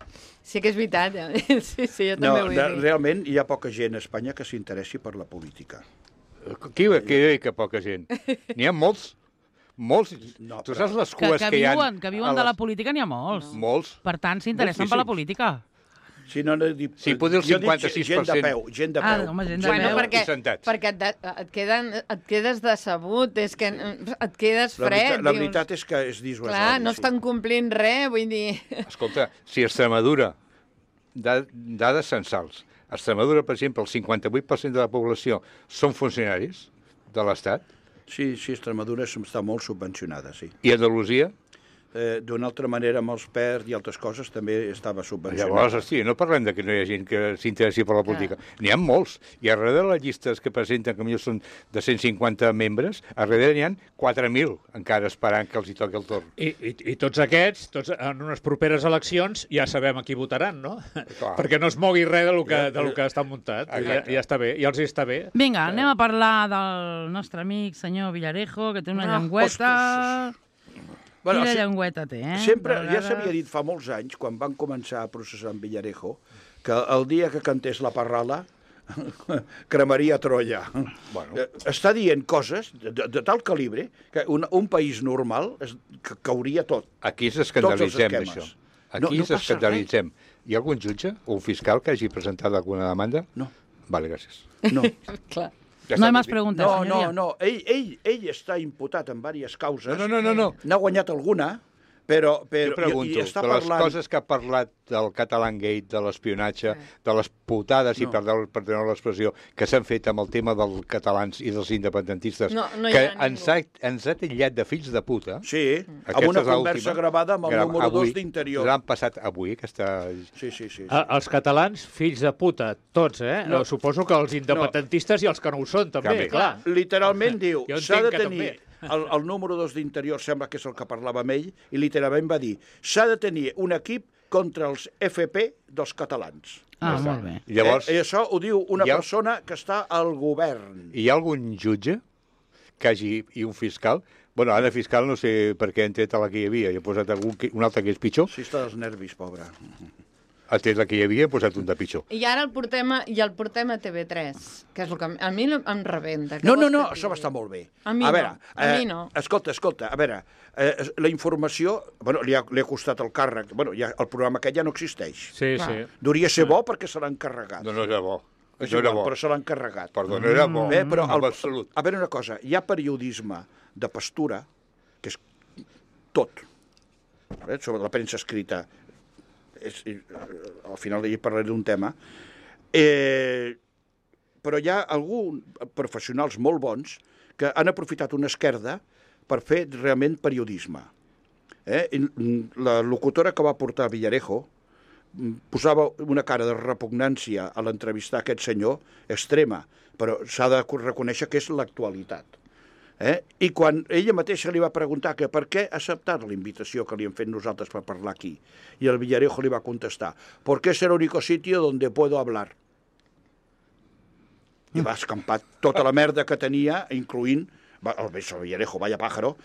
sí que és veritat, eh? sí, sí, jo No, també ho de, he dit. realment hi ha poca gent a Espanya que s'interessi per la política. Qui, qui diu que poca gent? N'hi ha molts. Molts. No, tu però- saps les Que, cues que, que, hi ha... viuen, que viuen de la política n'hi ha molts. Molts. Per tant, s'interessen per la política. Si no, no dic, Sí, potser el jo dic cinquanta-sis per gent de cent. peu, gent de Ah, peu. home, gent de Bueno, peu. perquè, i sentats. perquè et, de, et, queden, et quedes decebut, és que et quedes La, fred. veritat, la dius, veritat és que és dissuasori. Clar, no sí. estan complint res, vull dir... Escolta, si Extremadura, da- dades censals, a Extremadura, per exemple, el cinquanta-vuit per cent de la població són funcionaris de l'Estat, Sí, sí, Extremadura està molt subvencionada, sí. i Andalusia, Eh, D'una altra manera, amb els P E R i altres coses també estava subvencionada. llavors, hosti, no parlem de que no hi ha gent que s'interessi per la política. N'hi ha molts. I a darrere de les llistes que presenten, que millor són de cent cinquanta membres, a darrere n'hi ha quatre mil encara esperant que els hi toqui el torn. I, i, I tots aquests, tots en unes properes eleccions, ja sabem a qui votaran, no? Clar. Perquè no es mogui res de lo que, de lo que està muntat. Ja, Exacte. ja està bé, ja els hi està bé. Vinga, anem a parlar del nostre amic senyor Villarejo, que té una Ah, llengüeta... Bueno, Quina se- llengüeta té, eh? Sempre, De ja vegades- s'havia dit fa molts anys, quan van començar a processar en Villarejo, que el dia que cantés la parrala cremaria Troia. Bueno. Eh, Està dient coses de, de, de tal calibre que un, un país normal es, que cauria tot. Aquí ens escandalitzem Tots els d'això. esquemes. Aquí No- no ens passa escandalitzem. Hi ha algun jutge o un fiscal que hagi presentat alguna demanda? No. Vale, gràcies. No, Clar. Ja No hay està, más vull dir- preguntas, no, no, señoría. no. Ell, ell, ell està imputat en diverses causes. No, no, no, no. N'ha guanyat alguna, però, però Jo pregunto, i, i està de les parlant... coses que ha parlat del Catalan Gate, de l'espionatge, de les putades, No. i perdó, perdoneu l'expressió, que s'han fet amb el tema dels catalans i dels independentistes, No, no hi que ha ens ningú. ha, ens ha titllat de fills de puta. Sí, Aquesta amb una és l'última. conversa gravada amb el Gra- número avui, dos d'Interior. L'han passat avui, aquesta... Sí, sí, sí. sí. A, els catalans, fills de puta, tots, eh? No. No. Suposo que els independentistes no. i els que no ho són, també, També. clar. Literalment diu, Jo s'ha entenc de que tenir... també. El, el número dos d'Interior sembla que és el que parlava amb ell, i literalment va dir, s'ha de tenir un equip contra els F P dels catalans. Ah, molt bé. Llavors, eh, I això ho diu una hi ha- persona que està al govern. hi ha algun jutge que hagi, i un fiscal, bueno, ara fiscal no sé per què han tret la que hi havia, i ha posat algun, que- un altre que és pitjor, Sí, està dels nervis, pobre. ha tret la que hi havia i ha posat un de pitjor. I ara el portem a, i el portem a T V tres, que és el que a mi no- em rebenta. Què No, no, vols no, que et això va digui? estar molt bé. A mi a no, veure, a mi no. Escolta, escolta, a veure, eh, la informació, bueno, li ha, li ha costat el càrrec, bueno, ja, el programa aquest ja no existeix. Sí, Clar. sí. Duria ser bo perquè se l'ha encarregat. No, no era bo. És No era igual, bo. però se l'ha encarregat. Perdó, no era bo. Bé, però en el, absolut. a veure una cosa, hi ha periodisme de pastura, que és tot, eh, sobre la premsa escrita, és, eh, al final hi parlaré d'un tema, eh, però hi ha alguns professionals molt bons que han aprofitat una esquerda per fer realment periodisme. Eh? I la locutora que va portar Villarejo posava una cara de repugnància a l'entrevistar aquest senyor extrema, però s'ha de reconèixer que és l'actualitat. Eh? I quan ella mateixa li va preguntar que per què ha acceptat la invitació que li hem fet nosaltres per parlar aquí, i el Villarejo li va contestar, perquè és el único sitio donde puedo hablar. I va escampar tota la merda que tenia, incloent va, el Villarejo, vaya pájaro,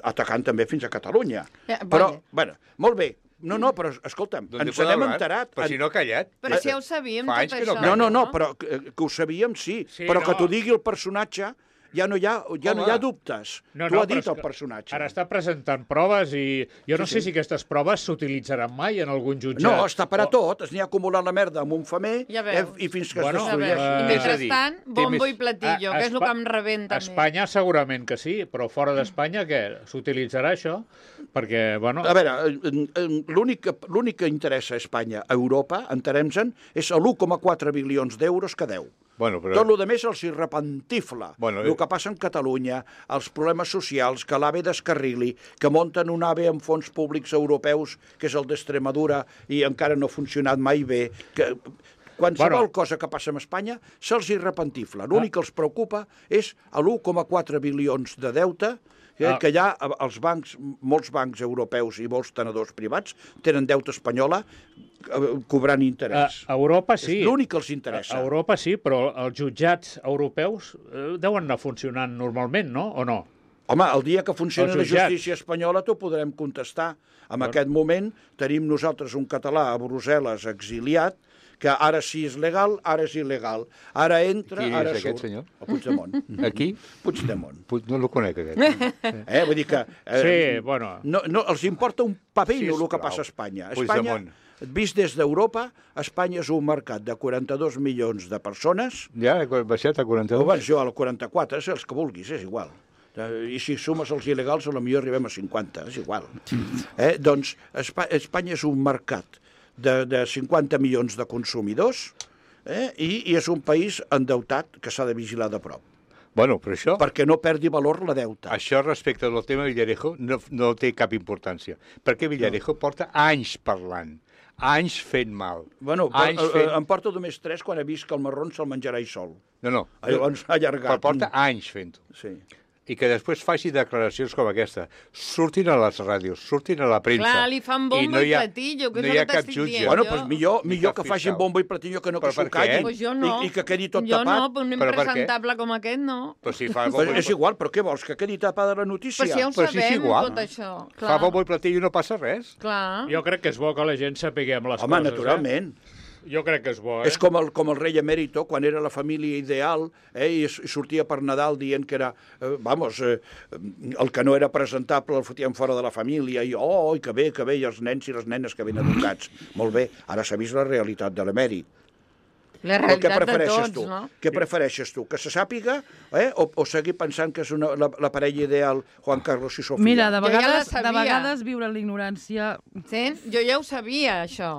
atacant també fins a Catalunya. Eh, Però, vale. bueno, molt bé. No, no, però escolta'm, D'on ens puedo n'hem hablar? enterat. Però si no ha callat. Però si ja ho sabíem, Fa tot anys que no això. No, no, no, però que, que ho sabíem, sí. Sí, però que no. t'ho digui el personatge, ja no hi ha, ja no hi ha dubtes. No, T'ho no, ha però dit és el que personatge. Ara està presentant proves i jo no Sí, sé sí. si aquestes proves s'utilitzaran mai en algun jutjat. No, està per a O- tot. Es n'hi ha acumulat la merda amb un femer Ja eh, veus. i fins que Bueno, es Ja veus. destrueix. I Eh, és a dir, mentrestant, té bombo més- i platillo, A- que és el Espa- que em rebenta A més. Espanya segurament que sí, però fora d'Espanya què? S'utilitzarà això? Perquè, bueno... A veure, eh, eh, l'únic que, l'únic que interessa a Espanya, a Europa, entenem-se'n, és l'un coma quatre bilions d'euros que deu. Bueno, però... Tot el que més els hi repentifla. Bueno, el eh. que passa en Catalunya, els problemes socials, que l'AVE descarrili, que munten un AVE amb fons públics europeus, que és el d'Extremadura, i encara no ha funcionat mai bé, que qualsevol Bueno. cosa que passa en Espanya se'ls hi repentifla. L'únic que els preocupa és l'un coma quatre bilions de deute que, Ah. que hi ha als bancs, molts bancs europeus i molts tenedors privats tenen deute espanyola eh, cobrant A, interès. a Europa sí. És l'únic que els interessa. A Europa sí, però els jutjats europeus eh, deuen anar funcionant normalment, no? O no? Home, el dia que funcioni Els la jutjats. justícia espanyola t'ho podrem contestar. En aquest moment tenim nosaltres un català a Brussel·les exiliat, que ara sí és legal, ara és il·legal. Ara entra, Qui és ara aquest surt. senyor? El Puigdemont. Aquí? Puigdemont. Puig- No el conec, aquest. Eh? Vull dir que... Eh, Sí, bueno. No, no, els importa un papino el que Sisplau. passa a Espanya. A Espanya, Puigdemont. vist des d'Europa, Espanya és un mercat de quaranta-dos milions de persones. Ja ha baixat a O quaranta-dos? abans jo al quaranta-quatre, és els que vulguis, és igual. Eh, I si sumes els il·legals, potser arribem a cinquanta, és igual. Eh? Doncs Espa Espanya és un mercat de, de cinquanta milions de consumidors eh? I, i és un país endeutat que s'ha de vigilar de prop, Bueno, però això... perquè no perdi valor la deuta. Això respecte al tema Villarejo no, no té cap importància, perquè Villarejo porta anys parlant, anys fent mal. Bueno, per, anys eh, fent... em porta només tres quan he vist que el marrón se'l menjarà ell sol. No, no, Llavors ha allargat. però porta anys fent-ho. Sí. I que després faci declaracions com aquesta. Surtin a les ràdios, surtin a la premsa. Clar, li fan bombo i platillo, que no és hi el ha que cap t'estic jutge. dient. Bueno, Jo- doncs millor, Ni millor cap que facin fiscal. bombo i platillo que no que Però s'ho per què? callin Pues jo no. i, i que quedi tot jo tapat. no, però un Però per què? impresentable com aquest no. Però si fa Però bombo, és igual, però què vols, que quedi tapada la notícia? Però si ja ho Però si és sabem, igual. tot això. fa bombo i platillo i no passa res. Clar. Jo crec que és bo que la gent sapiguem les Home, coses. naturalment. Eh? Jo crec que és bo, eh? És com el, com el rei emèrito, quan era la família ideal, eh, i, i sortia per Nadal dient que era, eh, vamos, eh, el que no era presentable el fotien fora de la família, i oh, i que bé, que bé, i els nens i les nenes que ben educats. Molt bé, ara s'ha vist la realitat de l'emèrit. La Però què realitat de prefereixes tots, tu? no? Què prefereixes tu? Que se sàpiga eh? o, o seguir pensant que és una, la, la parella ideal Juan Carlos i Sofia? Mira, de Jo ja la vegades, de sabia. vegades viure en l'ignorància... Sents? Jo ja ho sabia, això.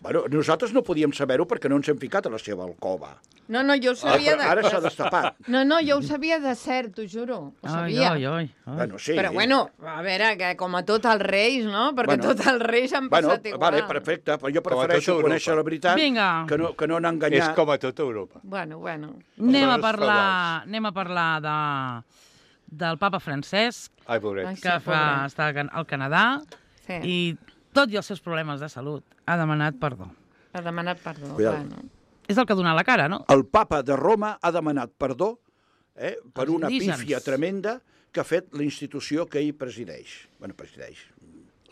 Bueno, nosaltres no podíem saber-ho perquè no ens hem ficat a la seva alcova. No, no, jo ho Ah, sabia... però ara s'ha destapat. No, no, jo ho sabia de cert, t'ho juro. Ho Ai, sabia. ai, ai, ai. Bueno, sí. Però bueno, a veure, que com a tot els reis, no? Perquè Bueno. tots els reis han Bueno, passat igual. vale, perfecte, però jo Com a prefereixo tota conèixer Europa. la veritat Vinga. que no, que no anar És enganyat. com a tota Europa. Bueno, bueno. Anem a dones parlar, feudals. anem a parlar de, del papa Francesc, Ai, pobret. Ai, sí, que fa, pobret. està al Canadà, Sí, i tot i els seus problemes de salut ha demanat perdó. ha demanat perdó. Cuidado. Bueno. És el que ha donat la cara, no? El papa de Roma ha demanat perdó eh, per Els una indígens. pífia tremenda que ha fet la institució que ell presideix. Bueno, presideix.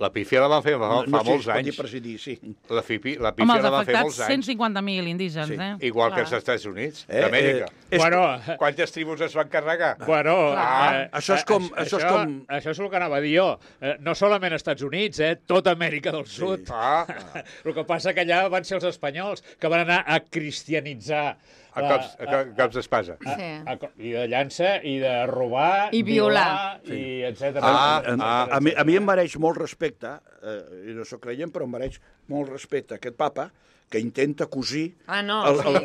La pífia la van fer fa, no, fa no sé si molts es pot dir anys. presidir, sí. La, fipi, la Home, pífia els la van fer afectats, molts cent anys. cinquanta mil indígens, Sí. eh? Igual que Clar. als Estats Units, Eh, d'Amèrica. eh, és- Bueno, Quantes tribus es van carregar? Bueno, Clar. eh, Això és com- eh, això és això, com- Això és el que anava a dir jo. Eh, no solament als Estats Units, eh, tota Amèrica del Sud. Ah, El que passa que allà van ser els espanyols que van anar a cristianitzar. a la- cops, a, co- cops d'espasa. a, Sí. a, I de llança, i de robar, I violar. i etcètera. Ah, A, ah. a, mi, a mi em mereix molt respecte, eh, i no sóc creient, però em mereix molt respecte aquest papa que intenta cosir... Ah, no, el, sí. el,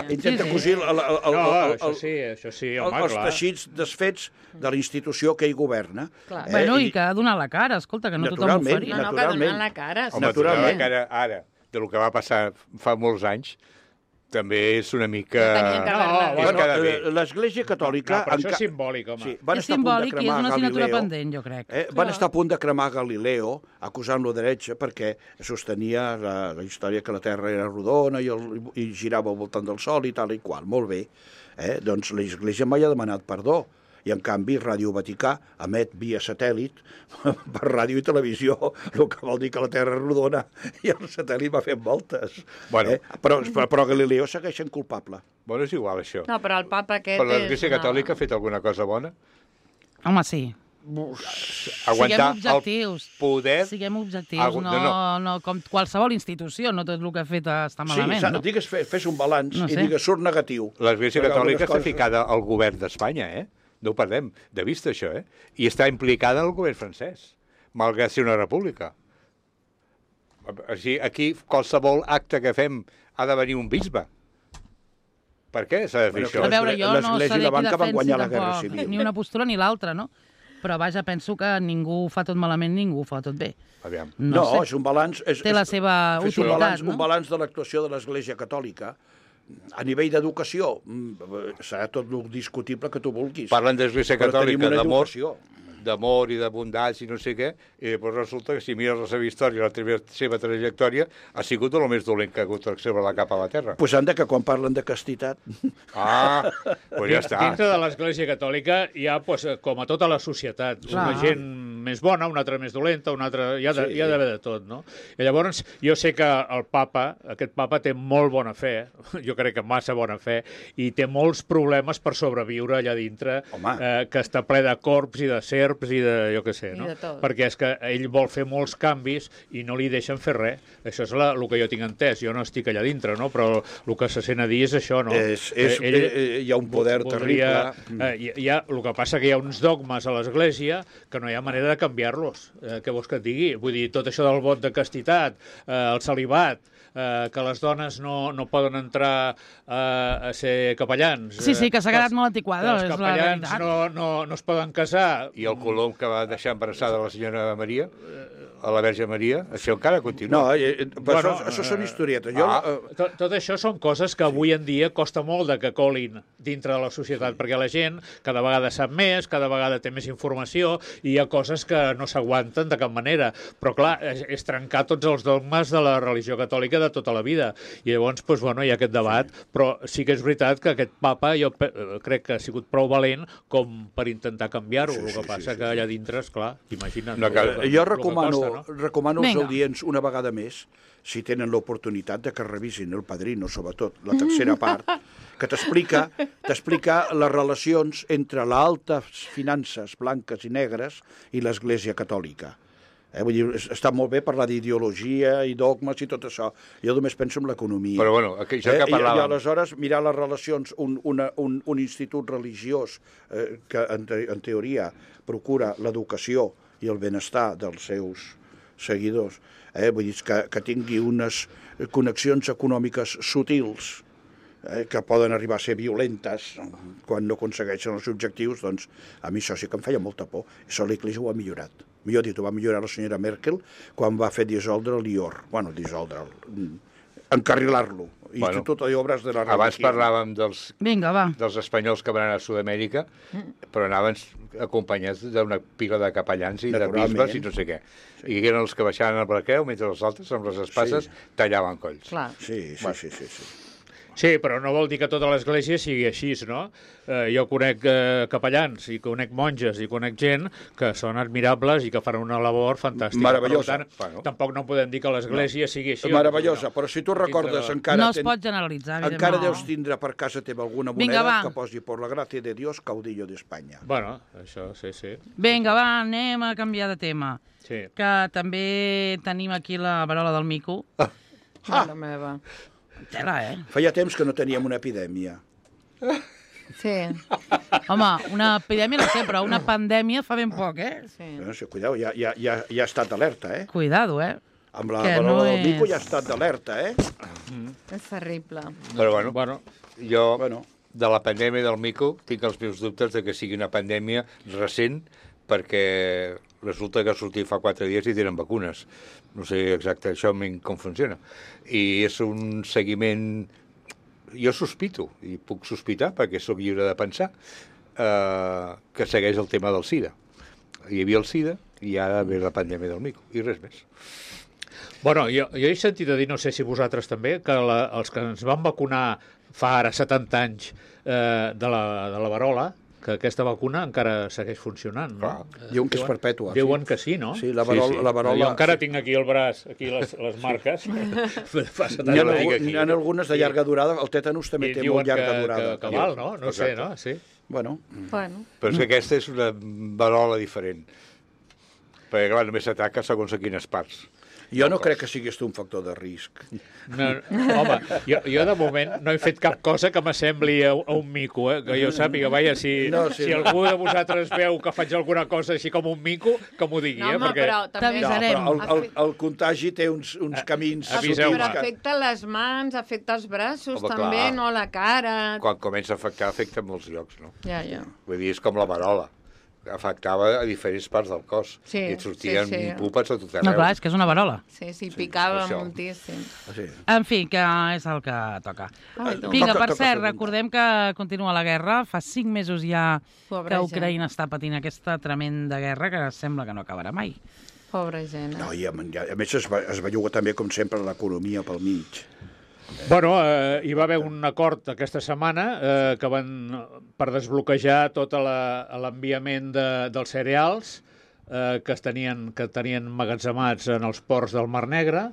el, intenta Sí, sí. cosir el, el, el, No, el, això el, sí, això sí, el, home, els clar. teixits desfets de la institució que ell governa. Clar. Eh, Bueno, i que ha donat la cara, escolta, que no tothom ho Naturalment, faria. No, no, que naturalment. donen la cara. sí. Home, naturalment. que ara, ara, de lo que va passar fa molts anys, també és una mica... No tenien que No, haver-la. bueno, És quedar bé. eh, L'Església Catòlica... No, però això enca- és simbòlic, home. Sí, van És estar a punt de simbòlic i és cremar una assignatura Galileo. pendent, jo crec. Eh, van estar a punt de cremar Galileo, acusant-lo d'heretge, perquè sostenia la, la història que la Terra era rodona i, el, i girava al voltant del Sol i tal i qual. Molt bé. Eh? Doncs l'Església mai ha demanat perdó. I, en canvi, Ràdio Vaticà emet via satèl·lit per ràdio i televisió, el que vol dir que la Terra és rodona i el satèl·lit va fent voltes. Bueno. Eh? Però, però, però Galileo segueix sent culpable. Bueno, és igual, això. No, però el papa aquest Però l'Església és una- Catòlica ha fet alguna cosa bona? Home, sí. Aguantar Siguem objectius. el poder... Siguem objectius, Algú- no, no, no, no, com qualsevol institució, no tot el que ha fet està malament, sí, no? digues, fes, fes un balanç No i sé. digues, surt negatiu. L'Església Perquè Catòlica algunes està coses- ficada al govern d'Espanya, eh? No ho perdem de vista, això, eh? I està implicada en el govern francès, malgrat ser una república. Així, aquí, qualsevol acte que fem ha de venir un bisbe. Per què s'ha de fer Bueno, això? A veure, jo no l'Església sé i la qui banca van defensi guanyar la Guerra tampoc Civil. ni una postura ni l'altra, no? Però vaja, penso que ningú ho fa tot malament, ningú ho fa tot bé. Aviam. No, No, sé. és un balanç... És, Té és, la seva fes un utilitat, balanç, no? un balanç de l'actuació de l'Església Catòlica. A nivell d'educació, mm, serà tot el discutible que tu vulguis. Parlen d'Església Però tenim Catòlica, una d'amor, educació. d'amor i de bondats i no sé què, i després resulta que si mires la seva història, la seva, seva trajectòria, ha sigut el més dolent que ha hagut sobre la capa a la terra. Pues anda que quan parlen de castitat... Ah, doncs ja està. Dintre de l'Església Catòlica hi ha, doncs, com a tota la societat, Clar. una gent més bona, una altra més dolenta, una altra... Hi ha de- Sí. hi ha d'haver de tot, no? I llavors, jo sé que el papa, aquest papa té molt bona fe, jo crec que massa bona fe, i té molts problemes per sobreviure allà dintre, Home. eh, que està ple de corps i de serps i de, jo què sé, I no? de tot. Perquè és que ell vol fer molts canvis i no li deixen fer res. Això és la, el que jo tinc entès. Jo no estic allà dintre, no? Però el que se sent a dir és això, no? És, és, Eh, ell eh, hi ha un poder voldria, terrible. eh, hi, hi ha, el que passa que hi ha uns dogmes a l'Església que no hi ha manera de canviar-los. Eh, què vols que et digui? Vull dir, tot això del vot de castitat, eh, el celibat, eh, que les dones no, no poden entrar eh, a ser capellans. Sí, sí, que s'ha quedat els- molt antiquada, que és els la capellans veritat. no, no, no es poden casar. I el colom que va deixar embarassada la senyora Maria, a la Verge Maria, això encara continua. No, eh, eh, però Bueno, això, això són eh, historietes. Jo, ah. eh, Tot, tot això són coses que avui en dia costa molt de que colin dintre de la societat, perquè la gent cada vegada sap més, cada vegada té més informació, i hi ha coses que no s'aguanten de cap manera. Però, clar, és, és trencar tots els dogmes de la religió catòlica de tota la vida. I llavors, doncs, bueno, hi ha aquest debat, però sí que és veritat que aquest papa jo pe- eh, crec que ha sigut prou valent com per intentar canviar-ho. Sí, El sí, que passa sí, sí, que allà dintre, esclar, imagina't. No cal- el que- jo el que recomano, costa, bueno. recomano als Vinga. audients una vegada més, si tenen l'oportunitat de que revisin El Padrino, sobretot, la tercera part, que t'explica t'explica les relacions entre les altes finances blanques i negres i l'Església Catòlica. Eh? Vull dir, està molt bé parlar d'ideologia i dogmes i tot això. Jo només penso en l'economia. Però bueno, això que Eh? I, I parlàvem... aleshores mirar les relacions, un, una, un, un institut religiós eh, que en, te, en teoria procura l'educació i el benestar dels seus seguidors, eh? Vull dir que, que tingui unes connexions econòmiques sutils, eh, que poden arribar a ser violentes quan no aconsegueixen els objectius, doncs a mi això sí que em feia molta por. Això l'Església ho ha millorat. Millor dit, ho va millorar la senyora Merkel quan va fer dissoldre l'I O R. Bueno, dissoldre, encarrilar-lo. Bueno, Institut de Obres de la Religió. Abans parlàvem dels, Vinga, va. dels espanyols que van anar a Sud-amèrica, però anaven acompanyats d'una pila de capellans i de Naturalment. bisbes i no sé què. I eren els que baixaven al braqueu, mentre els altres, amb les espases, Sí. tallaven colls. Clar. Sí, sí, Bueno. sí, sí, sí. Sí, però no vol dir que tota l'Església sigui així, no? Eh, jo conec eh, capellans i conec monges i conec gent que són admirables i que fan una labor fantàstica. Meravellosa. Per tant, Bueno. tampoc no podem dir que l'Església no. sigui així. Meravellosa, però si tu recordes, Dintre de- encara, No es ten- pot generalitzar, evidentment. encara No. deus tindre per casa teva alguna Vinga, moneda va. que posi por la gràcia de Dios, caudillo d'Espanya. Bueno, això sí, sí. Vinga, va, anem a canviar de tema. sí. Que també tenim aquí la verola del mico. Mare meva. Tela, eh? Feia temps que no teníem una epidèmia. Sí, Home, una epidèmia no sé, però una pandèmia fa ben poc, eh? sí. No sé, cuidao, ja, ja, ja, ja ha estat d'alerta, eh? Cuidado, eh? Amb la Que verola no del mico és- ja ha estat d'alerta, eh? És terrible. Però bueno, Bueno, jo Bueno. de la pandèmia del mico tinc els meus dubtes de que sigui una pandèmia recent, perquè resulta que ha sortit fa quatre dies i tenen vacunes. No sé exacte això com funciona. I és un seguiment... Jo sospito, i puc sospitar perquè sóc lliure de pensar, eh, que segueix el tema del SIDA. Hi havia el SIDA i ara ve la pandèmia del mico, i res més. bueno jo, jo he sentit a dir, no sé si vosaltres també, que la, els que ens van vacunar fa ara setanta anys eh, de, la, de la verola, que aquesta vacuna encara segueix funcionant, no? Clar. Diuen que és perpètua. Diuen que sí, no? Sí, la Sí, verola... sí. La verola Jo encara tinc aquí el braç, aquí les, les marques. Fa setanta N'hi ha, Jo la tinc algu- aquí. n'hi ha algunes de llarga durada, el tètanus també I té diuen molt llarga que, durada. que, que val, no? No sé, Exacte. no? Sí. Bueno, Bueno, Però és que aquesta és una verola diferent. Perquè, clar, només s'ataca segons a quines parts. jo no crec que siguis tu un factor de risc. No, home, jo, jo de moment no he fet cap cosa que m'assembli a, a un mico, eh? Que jo sàpiga, vaja, si, No, no, sí, si no. algú de vosaltres veu que faig alguna cosa així com un mico, que m'ho digui, no, eh? home, Perquè... però també... No, T'avisarem. però el, el, el contagi té uns, uns camins Aviseu-me. Però sutils que... afecta les mans, afecta els braços, Home, també, clar. no la cara... Quan comença a afectar, afecta en molts llocs, no? Ja, ja. Vull dir, és com la verola. Afectava a diferents parts del cos. Sí, I et sortien sí, sí. pupes a tot arreu. No, clar, és que és una verola. Sí, sí, picava això. moltíssim. Sí. En fi, que és el que toca. Ai, tu. Vinga, Toca- per toca cert, segunda. recordem que continua la guerra. Fa cinc mesos ja Pobra que gent. Ucraïna està patint aquesta tremenda guerra que sembla que no acabarà mai. Pobra gent. No, Eh? i a, a més es, va, es belluga també, com sempre, l'economia pel mig. Bueno, eh, hi va haver un acord aquesta setmana eh, que van per desbloquejar tot la- l'enviament de, dels cereals eh, que, es tenien, que tenien emmagatzemats en els ports del Mar Negre,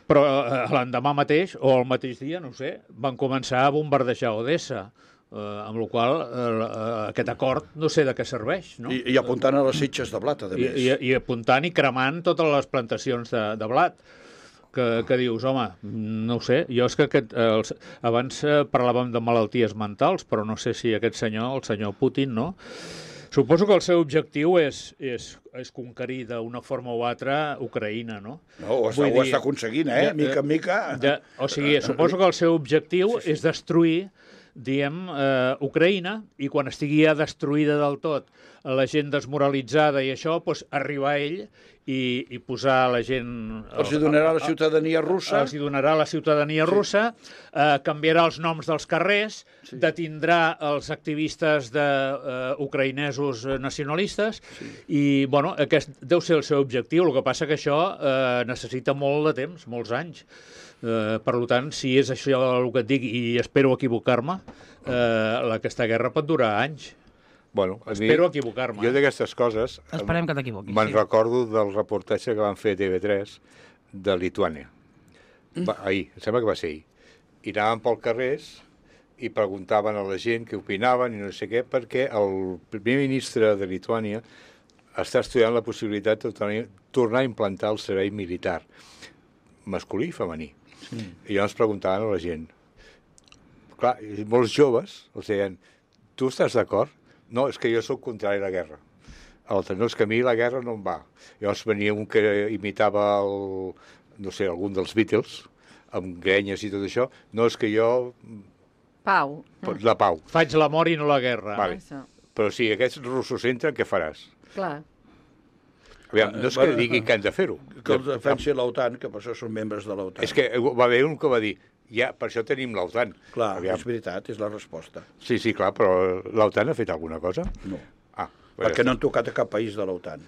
però eh, l'endemà mateix, o el mateix dia, no ho sé, van començar a bombardejar Odessa, eh, amb la qual cosa eh, aquest acord no sé de què serveix, no? I, I apuntant a les sitges de blat, a I, més. i, i apuntant i cremant totes les plantacions de, de blat. Que, que dius, home, no ho sé, jo és que aquest, eh, els, abans eh, parlàvem de malalties mentals, però no sé si aquest senyor, el senyor Putin, no? Suposo que el seu objectiu és, és, és conquerir d'una forma o altra Ucraïna, no? No, ho està, Vull ho dir, està aconseguint, eh? ja, Mica en mica. De, o sigui, suposo que el seu objectiu sí, sí. és destruir, diem, eh, Ucraïna, i quan estigui ja destruïda del tot, la gent desmoralitzada i això, doncs arribar a ell i, i posar la gent... Els hi donarà la ciutadania russa. Els hi donarà la ciutadania russa, eh, canviarà els noms dels carrers, sí. detindrà els activistes de, eh, ucraïnesos nacionalistes, sí. i, bueno, aquest deu ser el seu objectiu. El que passa que això eh, necessita molt de temps, molts anys. Eh, per tant, si és això el que et dic, i espero equivocar-me, eh, aquesta guerra pot durar anys. Bueno, a mi, Espero equivocar-me. Jo d'aquestes coses... Esperem que t'equivoquis. Me'n Sí. recordo del reportatge que van fer a T V tres de Lituània. Va, ahir, em sembla que va ser ahir. I anaven pel carrers i preguntaven a la gent què opinaven i no sé què, perquè el primer ministre de Lituània està estudiant la possibilitat de tornar, tornar a implantar el servei militar, masculí i femení. Sí. I llavors preguntaven a la gent. Clar, molts joves els deien, tu estàs d'acord? No, és que jo sóc contrari a la guerra. L'altre, no, és que a mi la guerra no em va. Llavors venia un que imitava el, no sé, algun dels Beatles, amb grenyes i tot això. No, és que jo... Pau. La pau. Faig l'amor i no la guerra. Vale. Això. Però si aquests russos entren, què faràs? Clar. Aviam, no és que diguin que han de fer-ho. Que els defensi l'OTAN, que per això són membres de l'OTAN. És que va haver un que va dir, ja, per això tenim l'OTAN. Clar, Aviam. és veritat, és la resposta. Sí, sí, clar, però l'OTAN ha fet alguna cosa? No. Ah, Perquè no han tocat a cap país de l'OTAN.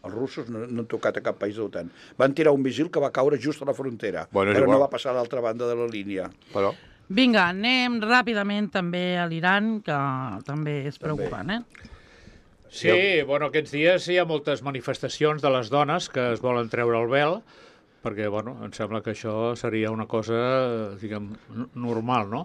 Els russos no, no han tocat a cap país de l'OTAN. Van tirar un misil que va caure just a la frontera, Bueno, però igual. no va passar a l'altra banda de la línia. Però... Vinga, anem ràpidament també a l'Iran, que també és preocupant, eh? Sí, bueno, aquests dies hi ha moltes manifestacions de les dones que es volen treure el vel, perquè, bueno, em sembla que això seria una cosa, diguem, normal, no?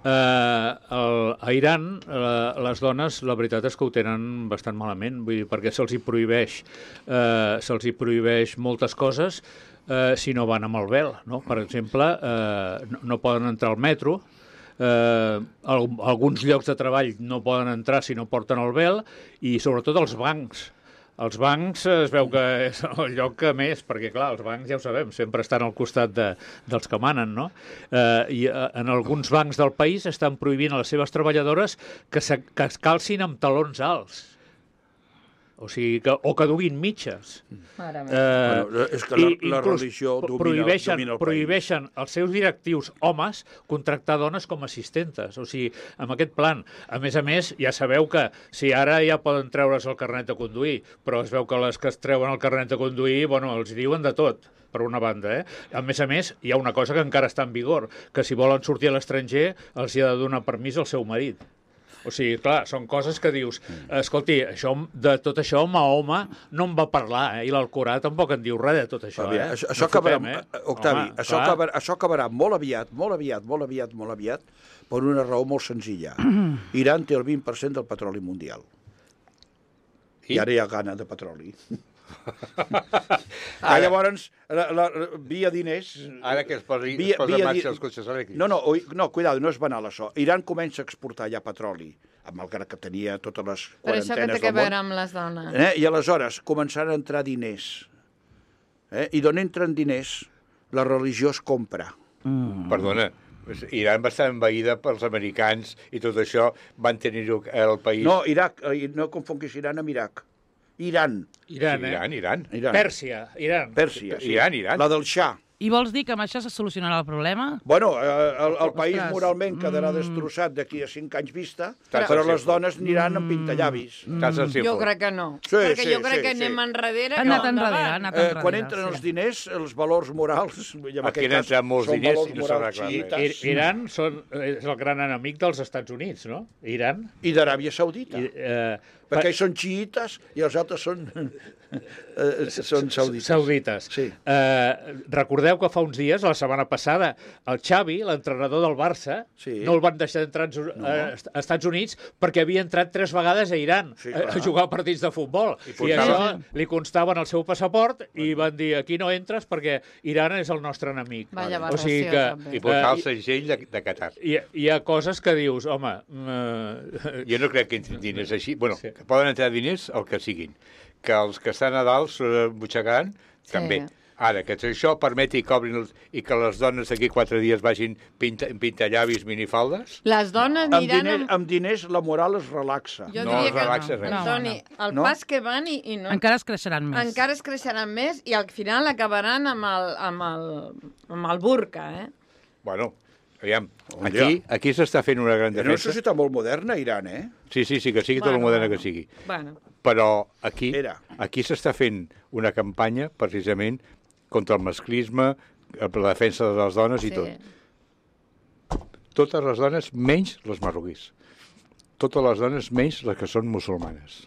Eh, el, a Iran, eh, les dones, la veritat és que ho tenen bastant malament, vull dir, perquè se'ls hi prohibeix, eh, se'ls hi prohibeix moltes coses eh, si no van amb el vel, no? Per exemple, eh, no, no poden entrar al metro, Eh, al, alguns llocs de treball no poden entrar si no porten el vel, i sobretot els bancs. Els bancs es veu que és el lloc que més, perquè clar, els bancs ja ho sabem, sempre estan al costat de, dels que manen, no? Eh, I eh, en alguns bancs del país estan prohibint a les seves treballadores que, se, que es calcin amb talons alts. O sigui, que, o que duguin mitges. Mare meva. Eh, Bueno, és que la- i la inclús religió domina- prohibeixen, domina el país. prohibeixen als seus directius homes contractar dones com a assistentes. O sigui, amb aquest plan. A més a més, ja sabeu que si ara ja poden treure's el carnet de conduir, però es veu que les que es treuen el carnet de conduir, bueno, els diuen de tot, per una banda, eh? A més a més, hi ha una cosa que encara està en vigor, que si volen sortir a l'estranger els hi ha de donar permís al seu marit. O sigui, clar, són coses que dius, escolti, això, de tot això Mahoma no en va parlar, eh? I l'Alcorà tampoc en diu res de tot això, Aviam, eh? això, això No acabarà, fotem, eh? Octavi, Home, això, clar. acabarà, això acabarà molt aviat, molt aviat, molt aviat, molt aviat, per una raó molt senzilla. Iran té el vint per cent del petroli mundial. I, I? ara hi ha gana de petroli. ah, llavors, la, la, via diners... Ara que es posi, via, es posa via en marxa di- els cotxes elèctrics. No, no, oi- no, cuidado, no és banal això. Iran comença a exportar ja petroli, malgrat que tenia totes les Per això que quarantenes té que del veure món. amb les dones. Eh? I aleshores començaran a entrar diners. Eh? I d'on entren diners, la religió es compra. Mm. Perdona, Iran va estar envaïda pels americans i tot això van tenir el país... No, Iraq, eh, no confonguis Iran amb Iraq. Iran, Iran, Sí, eh? Iran, Iran. Iran. Pèrsia, Iran. Pèrsia, sí. Iran, Iran. La del Shah. I vols dir que amb això se solucionarà el problema? Bueno, eh, el, el país Ostres. moralment quedarà Mm. destrossat d'aquí a cinc anys vista, Però- però les dones aniran amb pintallavis. Estàs al Jo círcul. crec que no. Sí, Perquè sí, jo crec sí, que sí. anem enrere Ha que anat endavant. enrere, ha anat Eh, enrere. quan entren els sí. diners, els valors morals, i en Aquí aquest han cas entrat molts són diners valors i no morals s'arregla res. xiites, I, Iran són, és el gran enemic dels Estats Units, no? Iran. i d'Aràbia Saudita. I, eh, Perquè ells són xiites i els altres són, eh, són saudites. Saudites. Sí. Eh, recordeu que fa uns dies, la setmana passada, el Xavi, l'entrenador del Barça, Sí. no el van deixar entrar als No. a Estats Units perquè havia entrat tres vegades a Iran Sí, a, clar. a jugar partits de futbol. I, I portava- això li constava en el seu passaport i van dir, aquí no entres perquè Iran és el nostre enemic. Vaya o sigui aberració, que, també. I portar Eh, el segell de, de Qatar. hi, hi ha coses que dius, home... Eh, Jo no crec que entrin diners així. Bueno, Sí. que poden entrar diners el que siguin. Que els que estan a dalt eh, butxacant, Sí. també. Ara, que això permeti que obrin els, i que les dones d'aquí quatre dies vagin pinta, pintallavis, minifaldes, Les dones Amb aniran diners, amb... amb diners la moral es relaxa. Jo No diria es que relaxa res. No, Antoni, el No? pas que van i, i no... Encara es creixeran més. Encara es creixeran més i al final acabaran amb el, amb el, amb el burca, eh? bueno, aviam, Un aquí, dia. aquí s'està fent una gran Era una defensa. societat molt moderna, Iran, eh? Sí, sí, sí, que sigui tot el Bueno, moderna bueno. que sigui. Bueno, Però aquí, Era. aquí s'està fent una campanya precisament contra el masclisme, per la defensa de les dones i sí. tot. Totes les dones, menys les marroquís. totes les dones, menys les que són musulmanes,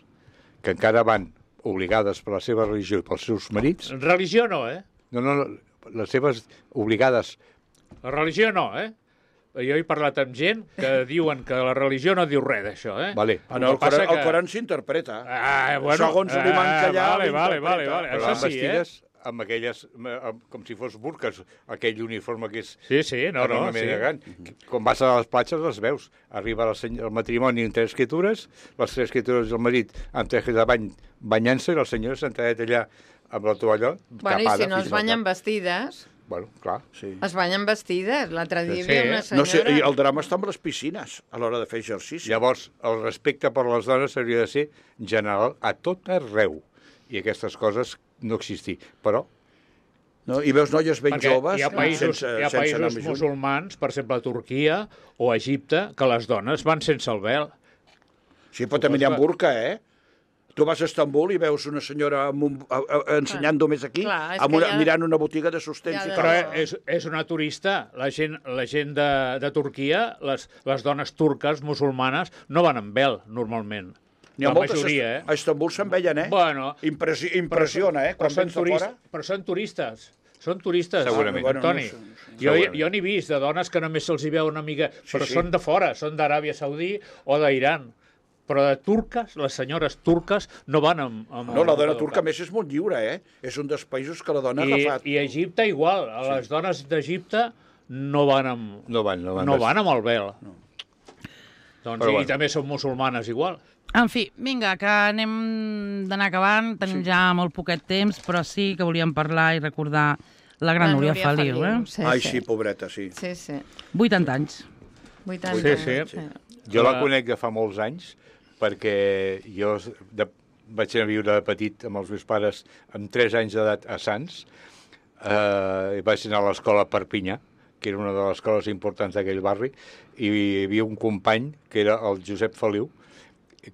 que encara van obligades per la seva religió i pels seus marits. Religió no, eh? No, no, no, les seves obligades... La religió no, eh? Jo he parlat amb gent que diuen que la religió no diu res d'això, eh? Vale. En el, passa Coran, que... el Coran s'interpreta. Ah, bueno, Segons l'imam que hi ha, vale, vale, vale, vale. Però Això van sí, vestides eh? amb aquelles, amb, com si fos burques, aquell uniforme que és... Sí, sí, no, no, enormement sí. elegant. Quan vas a les platges les veus. Arriba el, seny... el matrimoni amb tres escritures, les tres escritures del marit amb tres de bany banyant-se i la senyora sentadet allà amb la tovallola Bueno, tapada. i si no es banyen vestides... Bueno, clar. Sí. Es banyen vestides. L'altre dia hi Sí, havia una eh? senyora... No sé, i el drama està amb les piscines a l'hora de fer exercici. Llavors, el respecte per les dones hauria de ser general a tot arreu. I aquestes coses no existir. Però No? I veus noies ben Perquè joves hi ha països, sense, hi ha sense anar països més lluny. musulmans, per exemple, a Turquia o a Egipte, que les dones van sense el vel. Sí, però també n'hi ha burca, eh? Tu vas a Estambul i veus una senyora amb un, a, a, ensenyant només aquí, Clar, és amb que una, ja- mirant una botiga de sostens ja i de- tal. Però no. és, és una turista. La gent, la gent de, de Turquia, les, les dones turques, musulmanes, no van amb vel, normalment. N'hi ha La moltes majoria, eh? a Estambul se'n veien, eh? Bueno, Impressi impressiona, eh? però Quan són, vens de turistes, fora. però són turistes. Són turistes, Segurament. Bueno, Antoni. no sé, no sé. Jo, Segurament. jo n'he vist de dones que només se'ls hi veu una mica... però sí. són de fora, són d'Aràbia Saudí o d'Iran. Però de turques, les senyores turques no van amb... amb No, la amb dona el turca, a cap. més, és molt lliure, eh? És un dels països que la dona ha I, agafat. I a Egipte igual. Les dones d'Egipte no van amb... no van. No van, no van amb el vel. No. Doncs, Però i bueno. també són musulmanes igual. En fi, vinga, que anem d'anar acabant. Tenim sí. ja molt poquet temps, però sí que volíem parlar i recordar la gran La Núria, Núria Feliu. Feliu, Eh? sí. Ai, sí, pobreta, sí. Sí, sí. vuitanta anys. vuitanta Sí, sí. Jo la Ah. conec de fa molts anys, perquè jo de, vaig anar a viure de petit amb els meus pares amb tres anys d'edat a Sants. Eh, vaig anar a l'escola a Perpinyà, que era una de les escoles importants d'aquell barri, i hi havia un company, que era el Josep Feliu,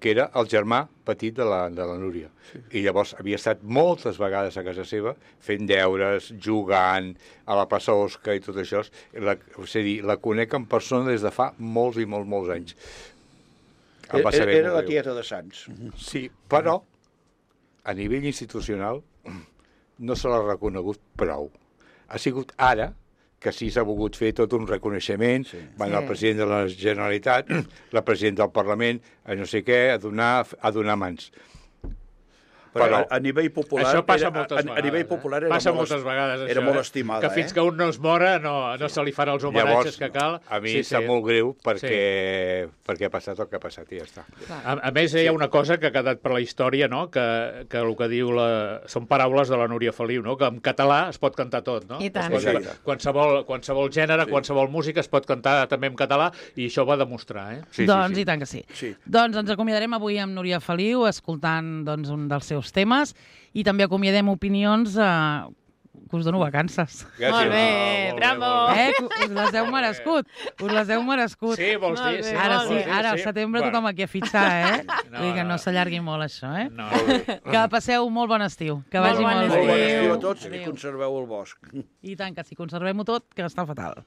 que era el germà petit de la, de la Núria. Sí. I llavors havia estat moltes vegades a casa seva fent deures, jugant, a la plaça Osca i tot això. La, és a dir, la conec en persona des de fa molts i molts, molts anys. Em va Era, saber era molt la greu. tieta de Sants. Sí, però a nivell institucional no se l'ha reconegut prou. Ha sigut ara que sí s'ha volgut fer tot un reconeixement, sí. van Sí. el president de la Generalitat, la presidenta del Parlament, a no sé què, a donar, a donar mans. Però, Però- a, a nivell popular... Això passa era, moltes a, vegades. a nivell popular eh? era passa molt, moltes vegades, era això, molt eh? estimada, Que fins eh? que un no es mora no, no se li farà els homenatges Llavors, que cal. a mi Sí, sí, sap sí. molt greu perquè, sí. perquè ha passat el que ha passat i ja està. A, a més, hi ha una cosa que ha quedat per la història, no? que, que el que diu la... són paraules de la Núria Feliu, no? Que en català es pot cantar tot. No? I tant. Es pot, Exacte. qualsevol, qualsevol gènere, sí. qualsevol música es pot cantar també en català i això ho va demostrar. Eh? Sí, doncs sí, sí. i tant que sí. Sí. Doncs ens acomiadarem avui amb Núria Feliu, escoltant doncs, un dels seus temes, i també acomiadem opinions eh, que us dono vacances. Gràcies. Molt bé, molt bé, bravo. molt Eh? que Us les heu merescut. Us les heu merescut. Sí, vols Molt dir? bé, Sí, Ara molt sí, bé. ara al setembre tothom aquí a fitxar, eh? No, Vull dir que no no. s'allargui molt això, eh? No. Que passeu molt bon estiu. Que Molt vagi bon molt Molt bon bé. estiu a tots i Adéu. conserveu el bosc. I tant que sí, conservem-ho tot, que està fatal.